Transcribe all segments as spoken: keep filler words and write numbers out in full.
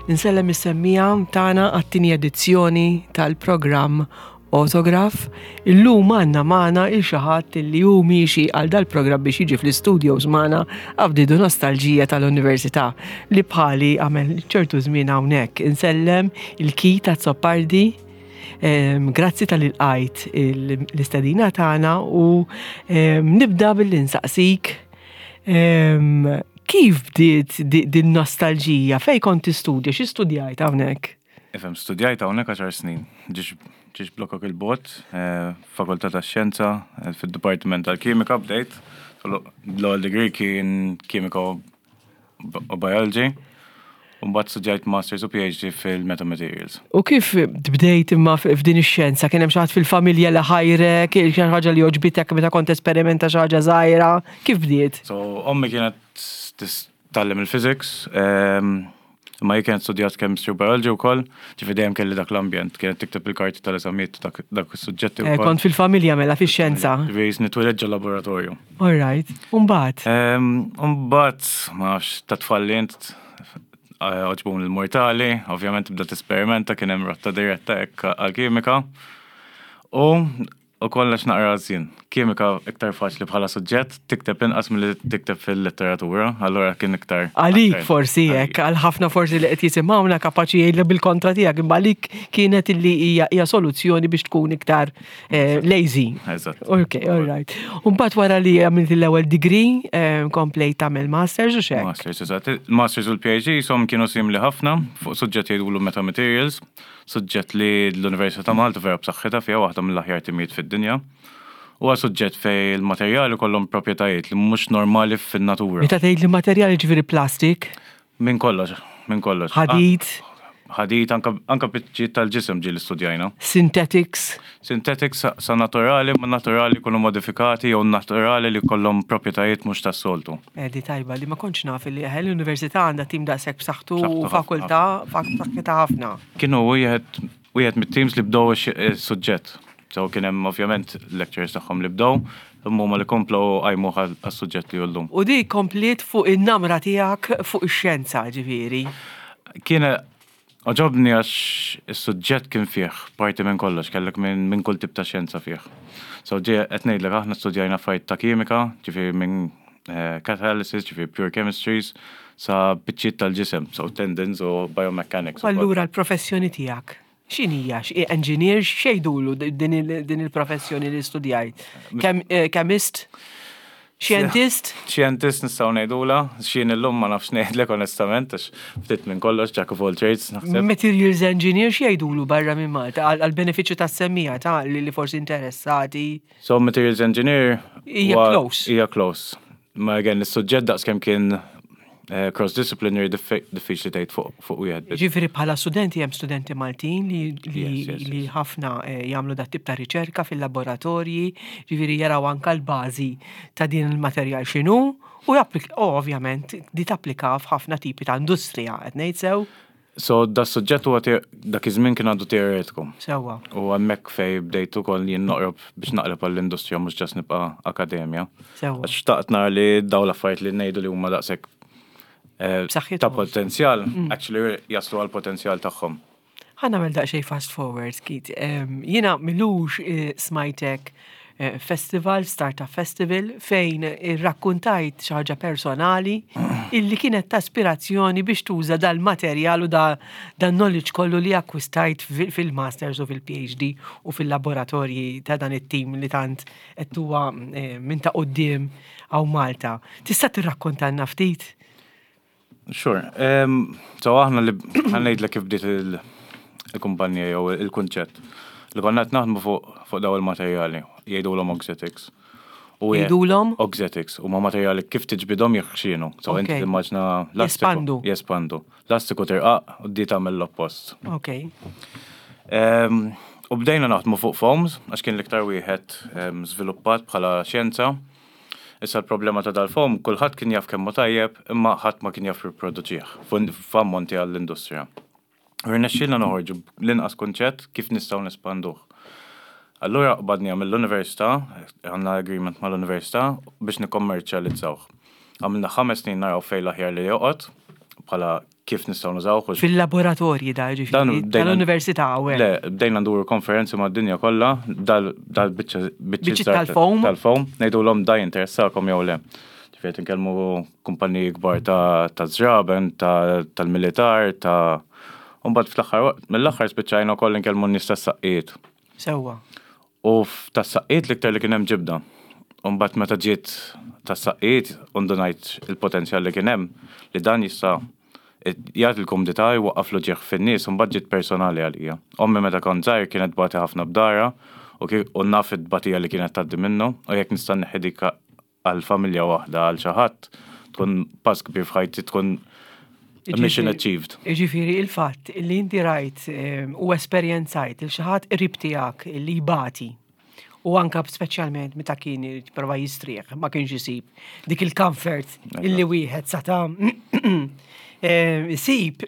Insellem is-semmiegħa tagħna għat-tieni edizzjoni tal-programm Autograph. Illum għandna magħna lil xi ħadd li hu miexi għal dal-programm biex jiġi fl-studios magħna Avdidu Nostalġija tal-Università li bħali għamel ċertu żmien hawnhekk. Insellem lil Keith Azzopardi. Grazzi talli lqajt l-istedina tagħna u nibda billi nsaqsik kif bdiet din nostalġija? Fej kont tistudja? Xi studjajt hawnhekk? Ifhem, studjajt hawnhekk għaxar snin. Ġiex blokok il-bot, eh, Fakultà tax-Xjenza, eh, fid-Dipartiment tal-Kimika bdejt. L-ewwel degree kien Kimika u Biology. U mbagħad studjajt Masters u P H D fil-Metamaterials. U kif bdejt imma f'din ix-xjenza? Kien hemm xi ħadd fil-familja li ħajrek, xi ħaġa li għoġbitek meta kont esperimenta xi ħaġa żgħira? Kif bdiet? So, ommi kienet tgħallem il-physics, imma hi kienet studjat chemistry u biology wkoll, ġifieri dejjem kelli dak l-ambjent, kienet tikteb il-karti tal-eżamijiet dak dak is-suġġetti Eh, wkoll. Kont fil-familja mela fix-xjenza. Ġifieri nitwieled ġo laboratorju. All right. Umbagħad. Umbagħad, ma nafx, ta' tfal li int għoġbuni il-mortali, ovvjament bda tesperimenta, kien hemm rotta diretta hekk għal-kimika. U u kollox naqra żjien. Kimika iktar faċli bħala suġġett, tikteb inqas milli tikteb fil-letteratura, allura kien iktar. Għalik aktar- forsi hekk, għal ħafna forsi li qed jisimgħuna kapaċi jgħidlu bil-kontra tiegħek, imma għalik kienet illi hija hija soluzzjoni biex tkun iktar eh, lazy. Eżatt. Ok, all right. Umbagħad wara li għamilt l-ewwel degree, eh, komplejt tagħmel masters u xek. Masters, eżatt. Masters u l-P H D som kienu simili ħafna fuq suġġett jgħidulu metamaterials, suġġett li l-Università ta' Malta vera b'saħħitha fiha, waħda mill-aħjar timijiet fid-dinja. Huwa suġġett fej il-materjali kollhom proprjetajiet li mhux normali fin-natura. Meta tgħid li materjali, ġifieri plastik, Minn kollox, minn kollox. ħadid, Ah, Ħadid, anka, anka biċċiet tal-ġisem ġieli studjajna. Synthetics. Synthetics sa, sa naturali, ma naturali jkunu modifikati jew naturali li kollhom proprjetajiet mhux tas-soltu. Edi tajba li ma kontx naf li eħe l-università għandha tim daqshekk b'saħħtu u B'saħħtu ħafna. Fakultà b'saħħitha ħafna. Kienu wieħed wieħed mit-teams li bdew ix- is-suġġett. So kien hemm ovvjament lectures tagħhom li bdew, imma huma li komplow qajmuh għas-suġġett li llum. U di kompliet fuq in-namra tiegħek fuq ix-xjenza ġifieri. Kien għoġobni għax is-suġġett kien fih parti minn kollox, kellek minn min kull tip ta' xjenza fih. So ġie qed ngħidlek, aħna studjajna affarijiet ta' kimika, ġifieri minn eh, catalysis, ġifieri pure chemistries, sa biċċiet tal-ġisem, so tendons u biomechanics. U allura l-professjoni tiegħek x'inhija? Xi engineer, x'jgħidulu din il- din il-professjoni li studjajt? Chem- eh, Chemist? Scientist? Scientist nistgħu ngħidula, x'jien illum ma nafx ngħidlek onestament, għax ftit minn kollox, jack of all trades, naħseb. Materials engineer, x'jgħidulu barra minn Malta għal benefiċċju tas-semmiegħa ta' li li forsi interessati? So materials engineer Hija huwa- close. Hija close. Ma again, is-suġġett daqs kemm kien eh, cross-disciplinary, diffiċli tgħid fuq fuq wieħed biss. Ġifieri bħala studenti hemm studenti Maltin li, li, Yes, yes, li yes. ħafna eh, jagħmlu dat tip ta' riċerka fil-laboratorji, ġifieri jaraw anka l-bażi ta' din il-materjal x'inhu u japplik- u ovvjament di tapplika f'ħafna tipi ta' industrija, qed ngħid sew? So da suġġett huwa te- dak iż-żmien kien għadu teoretiku. Sewwa. U hemmhekk fej bdejt ukoll jien noqrob biex naqleb għall-industrija, mhux just nibqa' akademja. Sewwa. Għax xtaqt nara li daw l-affarijiet li ngħidu li huma daqshekk eh, B'saħħithom. ta' potenzjal, actually jaslu għal potenzjal tagħhom. Ħa nagħmel daqsxejn fast forward, Keith. Em, Jiena m'ilux eh, smajtek eh, festival, Startup Festival, fejn irrakkuntajt xi ħaġa personali illi kienet ta' ispirazzjoni biex tuża dal-materjal u da, dan knowledge kollu li akkwistajt fil- fil-masters u fil-P H D u fil-laboratorji ta' dan it-tim li tant qed huwa eh, minn ta' quddiem hawn Malta. Tista' tirrakkontalna ftit? Sure. Um, so aħna li ħa ngħidlek kif bdiet il- il-kumpanija jew il-kunċett. Li konna qed naħdmu fuq fuq daw il-materjali, jgħidulhom auxetics. U je- Jgħidulhom? Auxetics, huma materjali kif tiġbidhom jeħxienu. So inti Ok. timmaġina lastiku. Jespandu. Jespandu. Lastiku tirqaq u di tagħmel l-oppost. Ok. Um, u bdejna naħdmu fuq foams, għax kien l-iktar wieħed um, żviluppat bħala xjenza. Issa l-problema ta' dal-foam, kulħadd kien jaf kemm hu tajjeb, imma ħadd ma kien jaf jipproduċih f'ammonti għall-industrija. Rnexxielna noħorġu l-inqas kunċett kif nistgħu nespanduh. Allura qbadni mill-università, għandna agreement mal-università biex nikkommerċjalizzawh. Għamilna ħames snin naraw fejn l-aħjar li joqgħod bħala Kif nistgħu nużawh. u Fil-laboratorji da, Dan ġifieri, bdejna- tal-università u Le, bdejna nduru konferenzi mad-dinja kollha, dal dal biċċa Biċċiet tal-foam? Tal-foam, ngħidulhom da jinteressakom jew le. Ġifieri nkellmu kumpaniji kbar ta' ta' żraben, ta' tal-militar, ta' Umbagħad fl-aħħar mill-aħħar spiċċajna wkoll nkellmu n-nies tas-saqqijiet. Sewwa. U tas-saqqijiet l-iktar li kien hemm ġibda. Umbagħad meta ġiet tas-saqqijiet undunajt il-potenzjal li kien hemm li dan jista' jagħti l-kumdità, jwaqqaf l-uġigħ fin-nies, u mbagħad ġiet personali għalija. Ommi meta kont żgħir kienet tbati ħafna b'dara u ki- u naf it-tbatija li kienet tgħaddi minnu, u jekk nista' nneħħi dik għal familja waħda, għal xi ħadd, tkun pass kbir f'ħajti, tkun mission achieved. Ġifieri il-fatt li inti rajt em, u esperjenzajt il xi ħadd qrib tiegħek li jbati u anka speċjalment meta kien jipprova jistrieħ ma kienx isib dik il-comfort illi wieħed sata em, isib,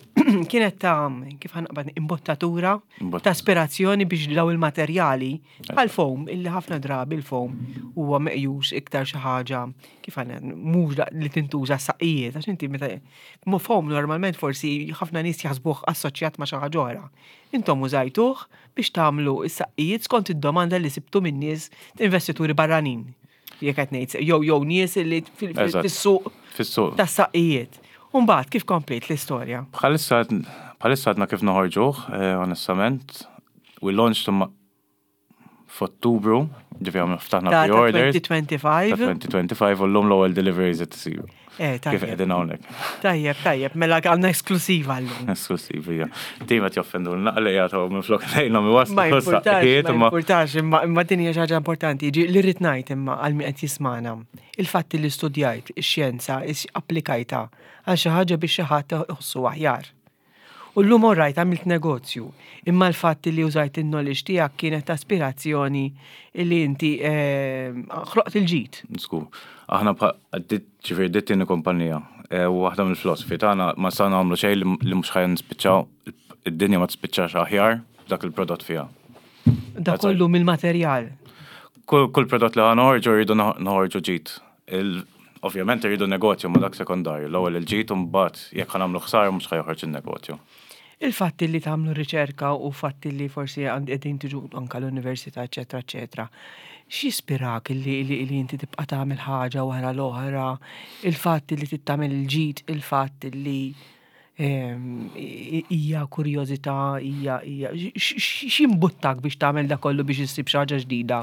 kienet ta' kif ħa naqbad imbottatura Imbott- ta' aspirazzjoni biex daw il-materjali għal foam, illi ħafna drabi il-foam huwa meqjus iktar xi ħaġa kif ħa mhux da- li tintuża saqqijiet, għax inti meta mo foam normalment forsi ħafna nies jaħsbuh assoċjat ma' xi ħaġa oħra. Intom użajtuh biex tagħmlu is-saqqijiet skont id-domanda li sibtu minn nies investituri barranin. Jekk qed ngħid jew jew nies li fil- fil- Eżatt. fis-suq Fis-suq. tas-saqqijiet. Umbagħad kif komplejt l-istorja? Bħalissa bħalissa għadna kif noħorġuh, eh, onestament. We launched them f'Ottubru, ġifieri għamlu ftaħna Ta' ta' pre-orders. elfejn u ħamsa u għoxrin. Ta' elfejn u ħamsa u għoxrin u l-lum l-ewwel deliveries qed isiru. Eh, Kif tajjeb. qegħdin hawnhekk. Tajjeb, tajjeb, mela għandna esklusiva llum. Esklusiv, hija. Tim qed joffendu l-naqli jagħtu minn flok lejnhom iwasslu Ma importax, saqqijiet, ma imma importax, imma imma din hija xi ħaġa importanti. Ġi li rrid ngħid imma għal min qed jismana. Il-fatt li studjajt ix-xjenza, is- applikajta għal xi ħaġa biex xi ħadd iħossu aħjar. U llum orrajt għamilt negozju, imma l-fatt li użajt il-knowledge tiegħek kienet aspirazzjoni li inti eh, ħloqt il-ġid. Sku, aħna ġifieri dit tieni kumpanija eh, u waħda mill-filosofi tagħna ma sa nagħmlu xejn li li mhux ħa nispiċċaw, id-dinja ma tispiċċax aħjar dak il-prodott fiha. Da That's kollu mill-materjal. Kull kull prodott li ħa noħorġu rridu noħorġu ġid. Il- Ovvjament rridu negozju, ma dak sekondarju. L-ewwel il-ġid u mbagħad jekk ħa nagħmlu ħsara mhux ħa joħroġ il-negozju. Il-fatt li tagħmlu riċerka u fatt li forsi għand qegħdin tiġu anka l-università, eċetera, eċetera. X'jispirak li, li, li inti tibqa' tagħmel ħaġa wara l-oħra, il-fatt li tittamel il-ġid, il-fatt li ehm, i- hija kurjożità, hija hija x'imbuttak biex tagħmel da kollu biex issib xi ħaġa ġdida?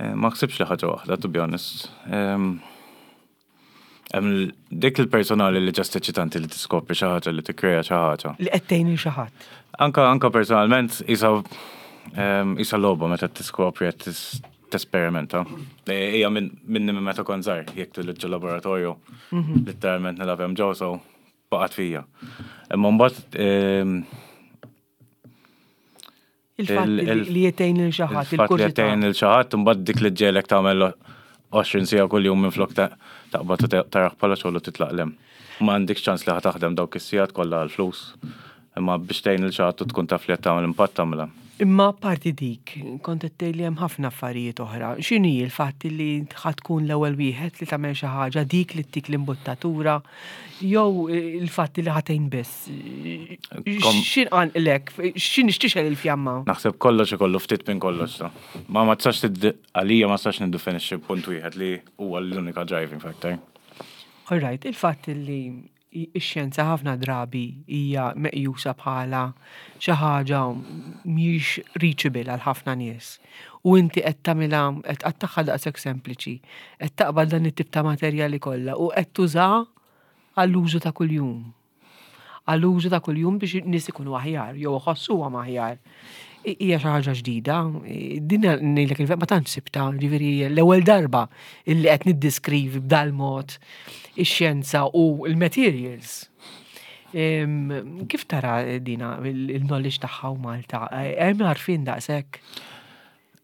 Eh, Ma ħsibx li ħaġa waħda, to be honest. Em, Hemm dik il-personali li just eċitanti li tiskopri xi ħaġa, li tikkrea xi ħaġa. Li qed tgħin lil xi ħadd. Anka anka personalment isa em, isa logħba meta tiskopri qed tis- tesperimenta. Eh, Hija minn minni minn meta kont żgħar, jekk tilġu laboratorju, letteralment nilgħab hemm ġew, so baqgħet fija. Imma mbagħad em, Il-fatt Il- li il- li qed tgħin lil xi ħadd, il-fatt li il-kurżità. tgħin lil xi ħadd, imbagħad dik li ġġiegħlek tagħmel għoxrin siegħa kuljum minn flok ta' taqbad u taraħ bħala xogħol u titlaq lem. Ma għandikx ċans li ħa taħdem dawk is-sigħat kollha għall-flus. Imma biex tgħin lil xi ħadd u tkun taf li qed tagħmel impatt tagħmilha. Imma parti dik, kont qed tgħid li hemm ħafna affarijiet oħra. X'inhi l-fatt li ħa tkun l-ewwel wieħed li tagħmel xi ħaġa, dik li ttik l-imbuttatura, jew il-fatt li ħa tgħin biss? Kom- X'inqanqlek, x'in x'tixgħel il-fjamma? Naħseb kollox ikollu ftit minn kollox ta. Ma ma tistax tiddi- għalija ma tistax niddefinixxi punt wieħed li huwa l-unika driving factor. All right, il-fatt li ix-xjenza ħafna drabi hija meqjusa bħala xi ħaġa mhijiex reachable għal ħafna nies. U inti qed tagħmilha, qed tqattagħha daqshekk sempliċi, qed taqbad dan it-tip ta' materjali kollha u qed tuża għall-użu ta' kuljum. Għall-użu ta' kuljum biex nies ikunu aħjar jew iħossuhom aħjar. I- Hija xi ħaġa ġdida, din ngħidlek il ma tantx sibta, ġifieri l-ewwel darba illi qed niddiskrivi b'dal-mod ix-xjenza u l-materials. Em, Kif tara dina il-knowledge tagħha u Malta? Hemm għarfien daqshekk?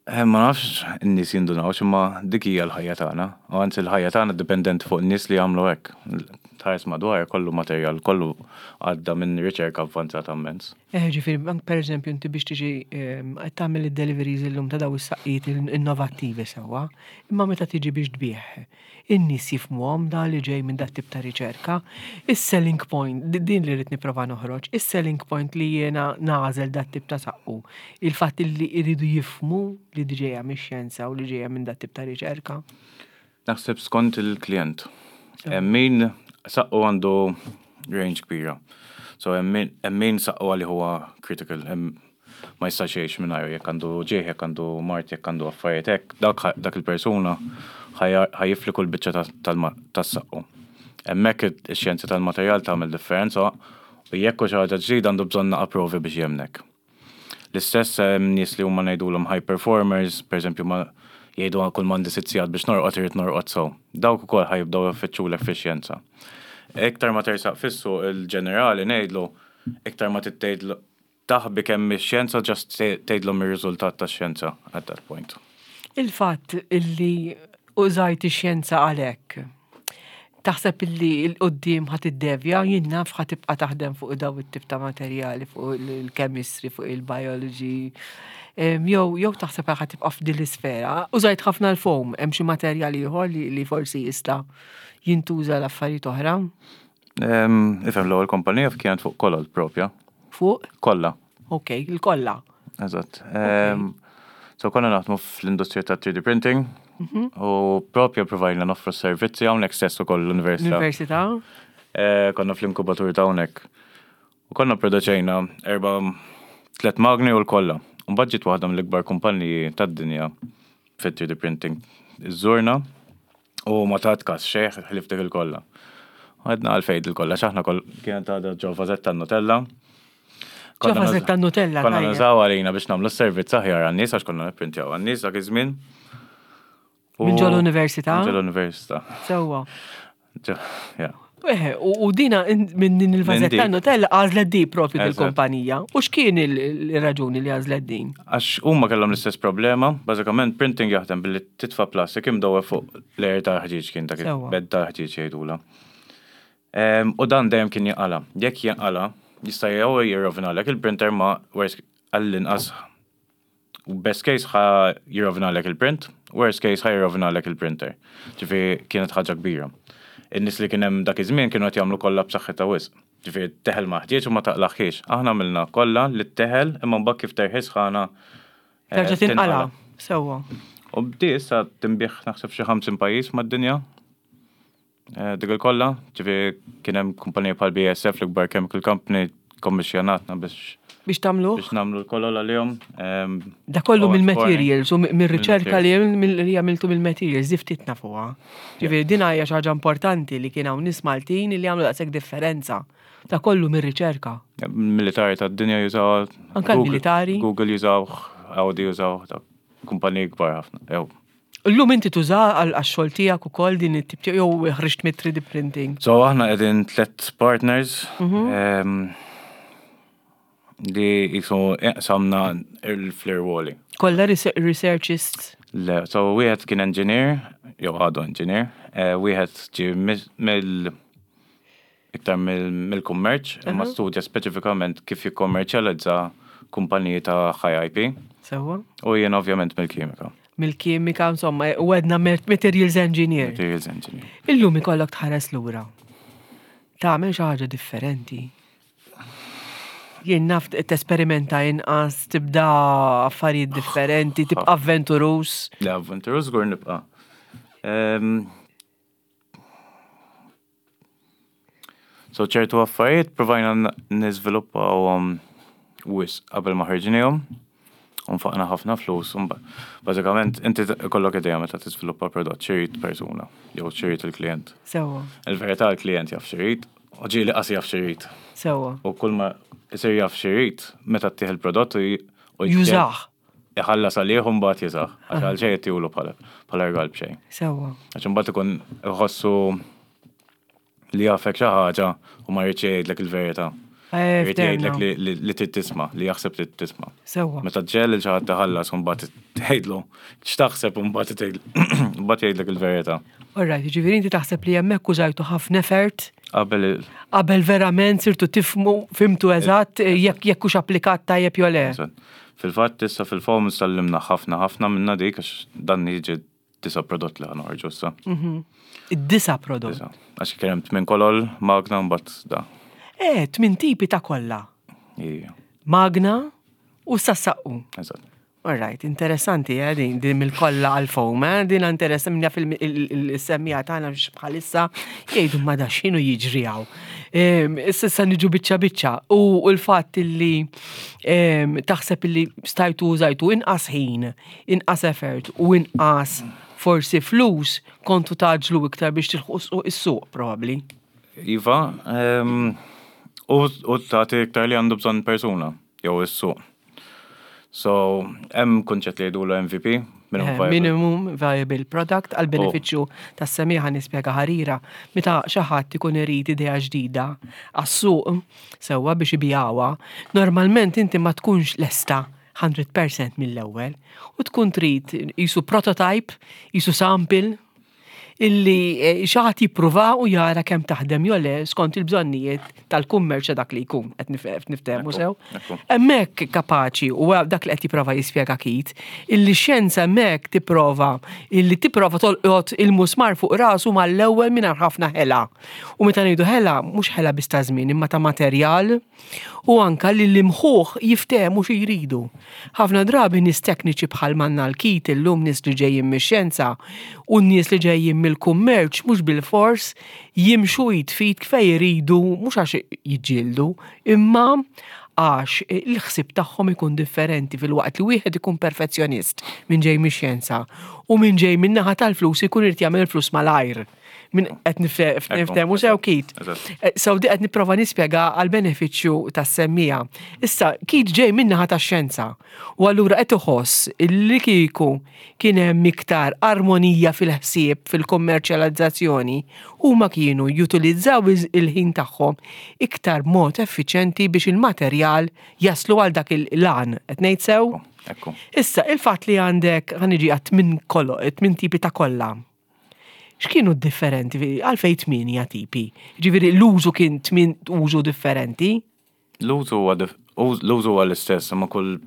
Eh, Ma nafx in-nies jindunawx imma dik hija l-ħajja tagħna. U anzi l-ħajja tagħna dipendenti fuq in-nies li jagħmlu hekk. Tħares madwar kollu materjal, kollu għadda minn riċerka avvanzata immens. Eh, ġifieri, anke per eżempju, inti biex tiġi ehm, qed tagħmel id-deliveries illum ta' daw is-saqqijiet innovattivi sewwa, imma meta tiġi biex tbigħ, in-nies jifhmuhom da li ġej minn dat tip ta' riċerka. Is-selling point, di- din li rrid nipprova noħroġ, is-selling point li jiena nagħżel dat tip ta' saqqu, il-fatt li jridu jifhmu li di ġejja mix-xjenza u li ġejja minn dat tip ta' riċerka. Naħseb skont il-klient. Hemm min saqqu għandu range kbira. So hemm min- hemm min saqqu għalih huwa critical. Hemm ma jistax jgħix mingħajru jekk għandu ġieħ, jekk għandu mard, jekk għandu affarijiet hekk, dak dak il-persuna ħa jifli kull biċċa ta- tal-ma- tas-saqqu. Hemmhekk ix-xjenza tal-materjal tagħmel differenza u jekk hu xi ħaġa ġdida għandu bżonn naqa provi biex jemnek. L-istess hemm nies li huma ngħidulhom high performers, per eżempju ma jgħidu kull m'għandi sitt sigħat biex norqod irid norqod so. Dawk ukoll ħa jibdew ifittxulek fix-xjenza. Iktar ma tersaq fis-suq il-ġenerali ngħidlu, iktar ma tgħidlu taħbi kemm ix-xjenza just tgħidlhom ir-riżultat tax-xjenza at that point. Il-fatt illi użajt ix-xjenza għalhekk. Taħseb illi 'l quddiem ħa tiddevja, jien naf ħa tibqa' taħdem fuq daw it-tip ta' materjali, fuq il-chemistry, fuq il-biology. Em, Jew jew taħseb ħa tibqa' f'din l-isfera. Użajt ħafna l-foam, hemm xi materjali ieħor li, li forsi jista' jintuża l-affarijiet oħra Em, Ifhem l-ewwel kompanija kienet fuq kolol propja. fuq. Kolla. Ok, il-kolla. Eżatt. Em, So konna naħdmu fl-industrija ta' three D printing u propja provajna noffru servizzi hawnhekk stess ukoll l-università. L-Università. Eh, Konna fl-inkubatur ta' hawnhekk. U konna produċejna erba tlet magni u l-kolla. Mbagħad ġiet waħda mill-ikbar kumpaniji tad-dinja fit three D printing. Iżżurna u ma tat kas xejn ħlief dik il-kolla. Għedna għalfejn il-kolla, x'aħna koll kienet għadha ġo vażetta Nutella. Ġo vażetta Nutella, Konna tajjeb. nużaw għalina biex nagħmlu s-servizz aħjar għan-nies għax konna nipprintjaw għan-nies dak iż-żmien. U- Minn ġol università? Minn ġol università. Sewwa. Ġo, ja. Eħe, u u dina in- minn din il-vażetta dik. Nutella għażlet di propju Eżatt. dil-kumpanija. U x'kien il- il-raġuni li għażlet din? Għax huma kellhom l-istess problema, bażikament printing jaħdem billi titfa' plastik imdewwa fuq layer ta' ħġieġ kien dak Sewwa. bed ta' ħġieġ jgħidula. Em, U dan dejjem kien jinqala. Jekk jinqala, jista' jew jirrovinalek il-printer ma worst għall-inqas u best case ħa jirrovinalek il-print, worst case ħa jirrovinalek il-printer. Ġifieri kienet ħaġa kbira. In-nies li kien hemm dak iż-żmien kienu qed jagħmlu kollha b'saħħitha wisq. Ġifieri teħel ma ħġieġ u ma taqlaħħiex. Aħna għamilna kollha li teħel imma mbagħad kif terħi sħana eh, Terġa' tinqala. Sewwa. U bdi issa tinbiegħ naħseb xi ħamsin pajjiż mad-dinja. Eh, Dik il-kolla, ġifieri kien hemm kumpanija bħal B A S F, l-ikbar chemical company, kommissjonatna biex Biex tagħmlu? biex nagħmlu l-kolol għalihom. Em, Da kollu u mill-materials u mill-riċerka li li għamiltu mill-materials, di ftit nafuha. Ġifieri din hija xi ħaġa importanti li kien hawn nies Maltin li għamlu daqshekk differenza. Da kollu mir-riċerka. Militari tad-dinja jużaw. Anka Google- l-militari? Google jużaw, Audi jużaw, ta' kumpaniji kbar ħafna. Ew. Illum inti tuża għal għax-xogħol tiegħek ukoll din it-tip jew ħriġt mit three D printing. So aħna qegħdin tlet partners Mhm. em, li jisu samna il-flir-woli. Kollha researchists. Le, so wieħed kien engineer, jew għadu engineer, eh, wieħed ġi mill iktar mill-kummerċ, imma studja speċifikament kif jikkommerċjalizza kumpaniji ta' high I P Sewwa. u jien ovvjament mill-kimika. Mill-kimika, insomma, u għedna materials engineer. Materials engineer. Illum ikollok tħares lura. Tagħmel xi ħaġa differenti. Jien naf tesperimenta inqas, tibda affarijiet differenti, tibqa' avventurus. Le, avventurus żgur nibqa'. Em, So ċertu affarijiet provajna niżviluppawhom wisq qabel ma ħarġnihom. Unfaqna ħafna flus. un Bażikament inti ikollok idea meta tiżviluppa prodott x'irid persuna jew x'irid il-klient. Sewwa, Il-verità l-klient jaf x'irid, u ġieli qas jaf x'irid. sewwa. U kull ma isir jaf x'irid meta ttih il-prodott u j- u Jużah. iħallas għalih u mbagħad jużah. Għax għal xejn ittihulu bħala bħala rigal b'xejn. Sewwa. Għax imbagħad ikun iħossu li jafek xi ħaġa u ma jridx jgħidlek il-verità. Eh, Irid jgħidlek li- li li trid tisma', li jaħseb trid tisma'. Sewwa. Meta ġġiegħel lil xi ħadd iħallas u mbagħad tgħidlu x'taħseb u mbagħad tgħid- mbagħad jgħidlek il-verità. Alright, ġifieri inti taħseb li hemmhekk użajtu ħafna effort Qabel il- qabel verament sirtu tifhmu, fhimtu eżatt jekk jekk hux applikat tajjeb jew le. Eżatt. Fil-fatt issa fil-foam tgħallimna ħafna ħafna minna dik għax dan jiġi disa' prodott li ħa noħorġu issa. Id-disa' prodott. Disa'. Għax kien hemm tmien kolol, magna mbagħad da. Eh, tmien tipi ta' kolla. Ija, Magna u sassaqqu. eżatt. Alright, interessanti, eh, din, din mill-kolla għal-foam, eh, din interessanti minna fil-semmiegħa tagħna biex bħalissa jgħidu ma da x'inhu jiġri hawn. Em, Issa sa niġu biċċa biċċa u l-fatt li em, taħseb li stajtu użajtu inqas ħin, inqas effort u inqas forsi flus kontu tgħaġġlu iktar biex tilħu is-suq probably. Iva, em, u u tagħti iktar li għandu bżonn persuna, jew is-suq. So, hemm kunċett li jgħidulu M V P, minimum Eh, viable. Minimum Viable Product għal benefiċċju tas-semmiegħa nispjega ħarira. Meta xi ħadd ikun irid idea ġdida għas-suq sewwa biex ibigħha, normalment inti ma tkunx lesta mija fil-mija mill-ewwel u tkun trid qisu prototype, qisu sample illi eh, xi ħadd jippruva u jara kemm taħdem jew le skont il-bżonnijiet tal-kummerċ dak li jkun qed nif- niftehmu Ekku, sew. ekku. Hemmhekk kapaċi u dak li qed jipprova jispjega Keith, illi xjenza hemmhekk tipprova illi tipprova tolqot il-musmar fuq rasu mal-ewwel mingħajr ħafna ħela. U meta ngħidu ħela, mhux ħela biss ta' żmien imma ta' materjal u anka li l-imħuħ jiftehmu xi jridu. Ħafna drabi nies tekniċi bħal manna l-Keith illum, nies li ġejjin mix-xjenza u nies li ġejjin mill-kummerċ mhux bil-fors jimxu id f'id kif jridu, mhux għax jiġġieldu, imma għax il-ħsib tagħhom ikun differenti, fil-waqt li wieħed ikun perfezzjonist minn ġej mix-xjenza u minn ġej min-naħa tal-flus ikun irid jagħmel flus malajr. Min qed niftehmu sew, Keith? Eżatt. Eh, So di qed nipprova nispjega għal benefiċċju tas-semmiegħa. Issa Keith ġej min-naħa tax-xjenza u allura qed iħoss illi kieku kien hemm iktar armonija fil-ħsieb fil-kommerċjalizzazzjoni, huma kienu jutilizzaw iż- il-ħin tagħhom iktar mod effiċjenti biex il-materjal jaslu għal dak il-lan. Qed ngħid sew? Ekku. Issa, il-fatt li għandek ħa niġi għat tmien kollo, tmien tipi ta' kolla. X'kienu differenti? Għalfejn tmienja tipi? Ġifieri l-użu kien tmien użu differenti? L-użu huwa dif- uż- l-użu huwa l-istess, imma kull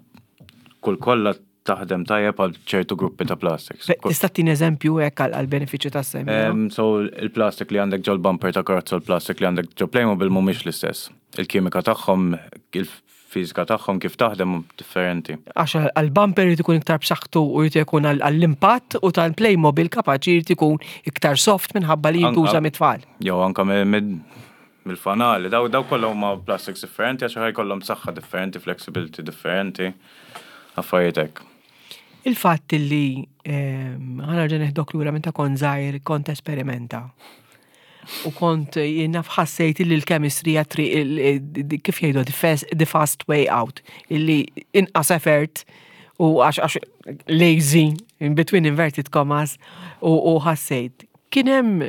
kull kolla taħdem tajjeb għal ċertu gruppi ta' plastics. Be- Tista' tini eżempju hekk għal għal benefiċċju tas-semmiegħa? Um, so il-plastik li għandek ġol bumper ta' karozza u l-plastik li għandek ġo Playmobil mhumiex l-istess. Il-kimika tagħhom, il-fiżika tagħhom kif taħdem differenti. Għax għal-bumper jrid ikun iktar b'saħħtu u jrid ikun għall-impatt u tal-Playmobil kapaċi jrid ikun iktar soft minħabba li jintuża Anka- mit-tfal. Jew anka mid mill-fanali, daw daw kollha huma plastics differenti għax ħa jkollhom saħħa differenti, flexibility differenti, affarijiet hekk. Il-fatt li ehm, ħa nerġa' neħdok lura meta kont żgħir, kont esperimenta. U kont jiena ħassejt li l-chemistry hija triq il- il- kif jgħidu the fast, the fast way out, illi inqas effort u għax għax lazy in between inverted commas u, u ħassejt. Kien hemm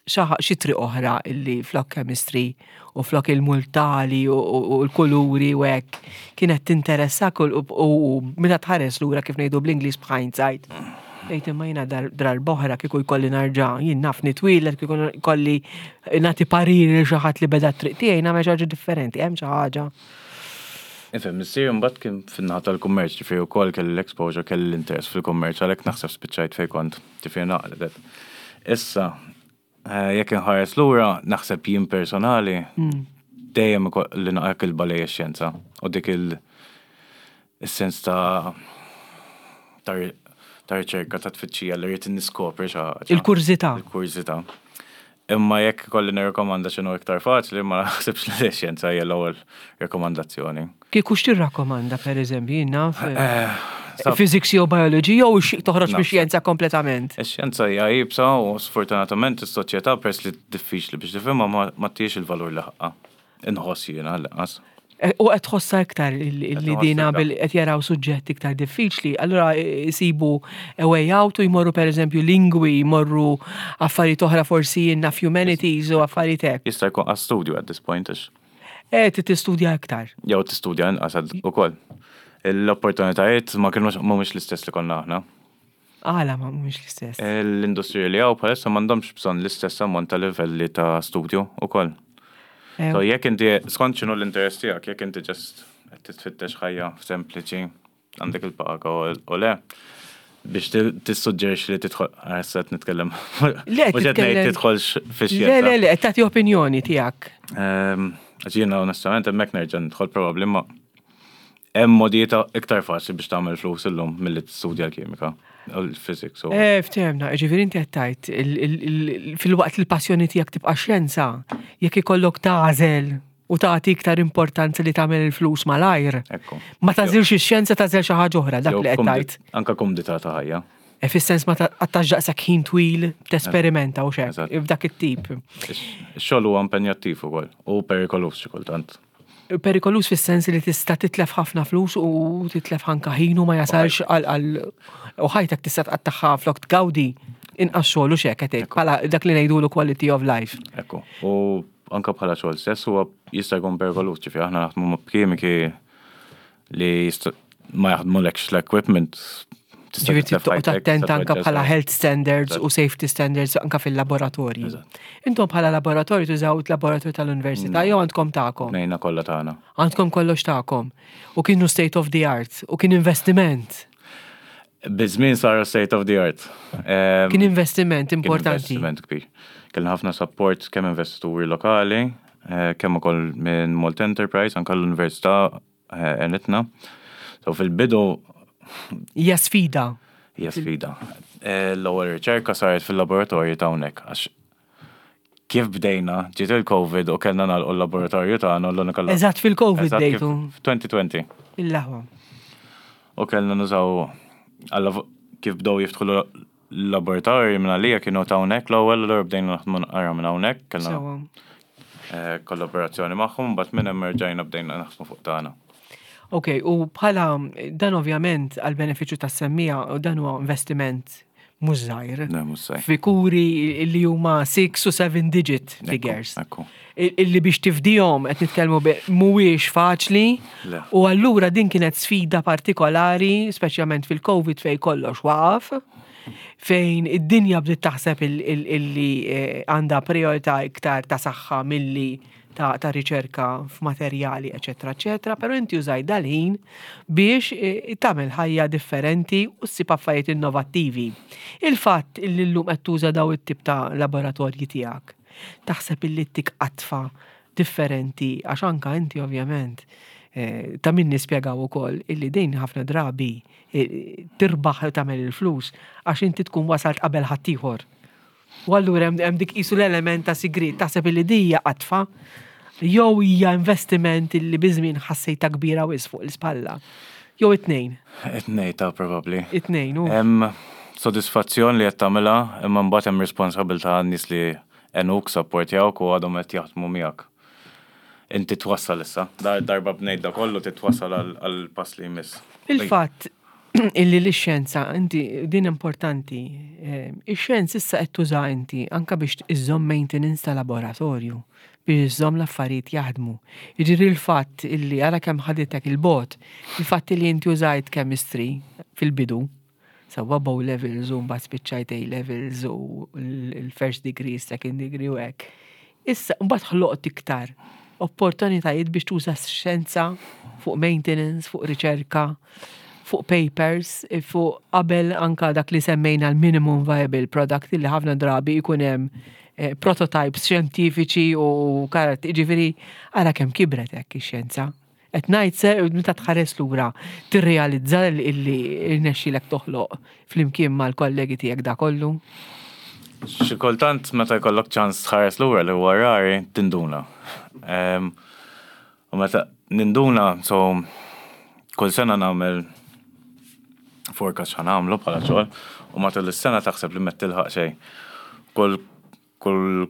xi xi triq oħra illi flok chemistry u flok il-multali u, u, u l-kuluri u hekk kienet tinteressak u, u, u meta tħares lura, kif ngħidu bl-Ingliż b'hindsight? Ejt imma jiena dar, darb'oħra kieku jkolli nerġa', jien naf nitwieled, kieku jkolli nagħti pariri lil xi ħadd li beda t-triq tiegħi, nagħmel xi ħaġa differenti, hemm xi ħaġa? Ifhem, missier mbagħad kien fin-naħa tal-kummerċ, ġifieri wkoll kelli l-exposure, kelli l-interess fil-kummerċ, għalhekk naħseb spiċċajt fejn kont, ġifieri naqledet. Issa, eh, jekk inħares lura, naħseb jien personali dejjem li naqra kilba lejn ix-xjenza u dik il- is-sens ta' ta' ta' riċerka, ta' tfittxija li rrid niskopri xi ħaġa. Il-kurżità. Il-kurżità. Imma jekk kolli nirrekomanda x'inhu iktar faċli, ma naħsibx li x-xjenza hija l-ewwel rekomandazzjoni. Kieku x'tirrakkomanda, per eżempju, jien naf Eh, sab- physics jew biology jew xi toħroġ Naf. mix-xjenza kompletament? Ix-xjenza hija iebsa u sfortunatament is-soċjetà, peress li diffiċli biex tifhimha, ma ma tiex il-valur li ħaqqa. Inħoss jiena l-qas. Eh, U qed tħossha iktar li tħoss dina iktar. bil qed jaraw suġġett iktar diffiċli, allura jsibu a way out u jmorru per eżempju lingwi, jmorru affarijiet oħra, forsi jien naf humanities u affarijiet hekk. Jista' jkun għas studju at this point għax. Eh, tistudja iktar. Jew tistudja inqas ukoll. L-opportunitajiet ma kienux mhumiex l-istess li konna aħna. Għala ma mhumiex l-istess? L-industrija li hawn bħalissa m'għandhomx bżonn l-istess ammont ta' livelli ta' studju ukoll. Eh, So jekk inti skont x'inhu l-interess tiegħek, jekk inti just qed titfittex ħajja sempliċi, għandek il-paga u u le, biex ti- tissuġġerix li tidħol, issa qed nitkellem. Le, Mhux qed ngħid titkellem- tidħolx Le, fix-xjenza. le, le, qed tagħti opinjoni tiegħek. Ehm, Għax jiena onestament hemmhekk nerġa' nidħol probabbli ma hemm modijiet iktar faċli biex tagħmel flus illum milli tistudja l-kimika u l-physics. u- Eh, ftehemna, ġifieri inti qed tgħid il- il- il- filwaqt li l-passjoni tiegħek tibqa' xjenza, jekk ikollok tagħżel u tagħti iktar importanza li tagħmel il-flus malajr. Ekku. Ma tagħżilx ix-xjenza, tagħżel xi ħaġa oħra, dak Jew li qed kumdi- tgħid. Anka kumdità ta' ħajja. E fis-sens ma tqattax daqshekk ħin twil tesperimenta u xek, Eżatt. f'dak it-tip. Ix-xogħol huwa impenjattiv ukoll u perikolus xi kultant. Perikolus fis-sens li tista' titlef ħafna flus u titlef anka ħin u ma jasalx għal għal u ħajtek tista' tqattagħha flok tgawdi inqas xogħol u xek qed tgħid, bħala dak li ngħidulu quality of life. Ekku. U anka bħala xogħol stess huwa jista' jkun perikolus, ġifieri aħna naħdmu ma' kimiki li jista' ma jaħdmulekx l-equipment. Tista' Ġifieri titlef toqgħod ħajtek, attent tista' anka tweġġa' bħala sew. health standards u safety standards anka fil-laboratorji. Eżatt. Intom bħala laboratorju tużaw il-laboratorju tal-università jew għandkom tagħkom? Bnejna kollha tagħna. Għandkom kollox tagħkom. U kienu state of the art u kien investiment. Biż-żmien sar state of the art. Ehm, Kien investiment kien importanti. Investiment kbir. Kellna ħafna support kemm investituri lokali, eh, kemm ukoll minn Malta Enterprise, anka l-Università eh, għenitna. So fil-bidu Hija sfida. hija sfida. Eh, L-ewwel riċerka saret fil-laboratorju ta' hawnhekk għax kif bdejna, ġiet il-Covid u kellna nagħlqu l-laboratorju tagħna u l-unika Eżatt fil-Covid Eżatt kif bdejtu. f'twenty twenty. Il-laħwa. U kellna nużaw alla kif bdew jiftħu l-laboratorju minn għalija kienu ta' hawnhekk l-ewwel, allura bdejna naħdmu naqra minn hawnhekk, kellna Sewa. eh, kollaborazzjoni magħhom, mbagħad minn hemm erġajna bdejna naħdmu fuq tagħna. Ok, u bħala dan ovvjament għal benefiċċju tas-semmiegħa u dan huwa investiment mhux żgħir. Le, mhux żgħir. Figuri li huma six u seven digit figures. Ekku. Il- Illi biex tifdihom qed nitkellmu bi- mhuwiex faċli. Le. U allura din kienet sfida partikolari, speċjalment fil-Covid fej kollox waqaf, fejn id-dinja bdiet taħseb il- il- illi eh, għandha priorità iktar ta' saħħa milli ta', ta' riċerka f'materjali, eċetera, eċetera, però inti użaj dal-ħin biex eh, tagħmel ħajja differenti u ssib affarijiet innovattivi. Il-fatt illi llum qed tuża daw it-tip ta' laboratorji tiegħek, taħseb illi ttik qatfa differenti, għax anka inti ovvjament eh, ta' min nispjegaw ukoll illi din ħafna drabi eh, tirbaħ u tagħmel il-flus għax inti tkun wasalt qabel ħaddieħor. U allura hemm hemm dik qisu l-element ta' sigrit, taħseb illi din hija qatfa jew hija investiment illi biż-żmien ħassejta kbira wis fuq l-ispalla. Jew it-tnejn, It-tnejn ta' probabbli. It-tnejn u. Hemm sodisfazzjon li qed tagħmilha, imma mbagħad hemm responsabilità għan-nies li għenuk, supportjawk u għadhom qed jaħdmu miegħek. Inti twassal issa. Dar darba bnejt da kollu titwassal għal pass li jmiss. Il-fatt illi l-xjenza, inti din importanti, eh, ix-xjenza issa qed tuża inti anka biex iżżomm maintenance ta' laboratorju, biex iżżomm l-affarijiet jaħdmu. Jiġifieri l-fatt illi ara kemm ħaditek il-bot, il-fatt illi inti użajt chemistry fil-bidu, sewwa O levels u mbagħad spiċċajt A levels u l-first degree, second degree u hekk. Issa mbagħad ħloqt iktar opportunitajiet biex tuża x-xjenza fuq maintenance, fuq riċerka, fuq papers, fuq qabel anka dak li semmejna l-minimum viable product li ħafna drabi jkun hemm eh, prototypes xjentifiċi u karat, ġifieri ara kemm kibret hekk ix-xjenza. Qed ngħid se meta tħares lura tirrealizza illi rnexxilek toħloq flimkien mal-kollegi tiegħek da kollu. Xi kultant meta jkollok ċans tħares lura, li huwa rari, tinduna. Em, U meta ninduna, so kull sena nagħmel forecast x'ħa nagħmlu bħala xogħol u matul is-sena taħseb li ma tilħaq xejn. Kull kull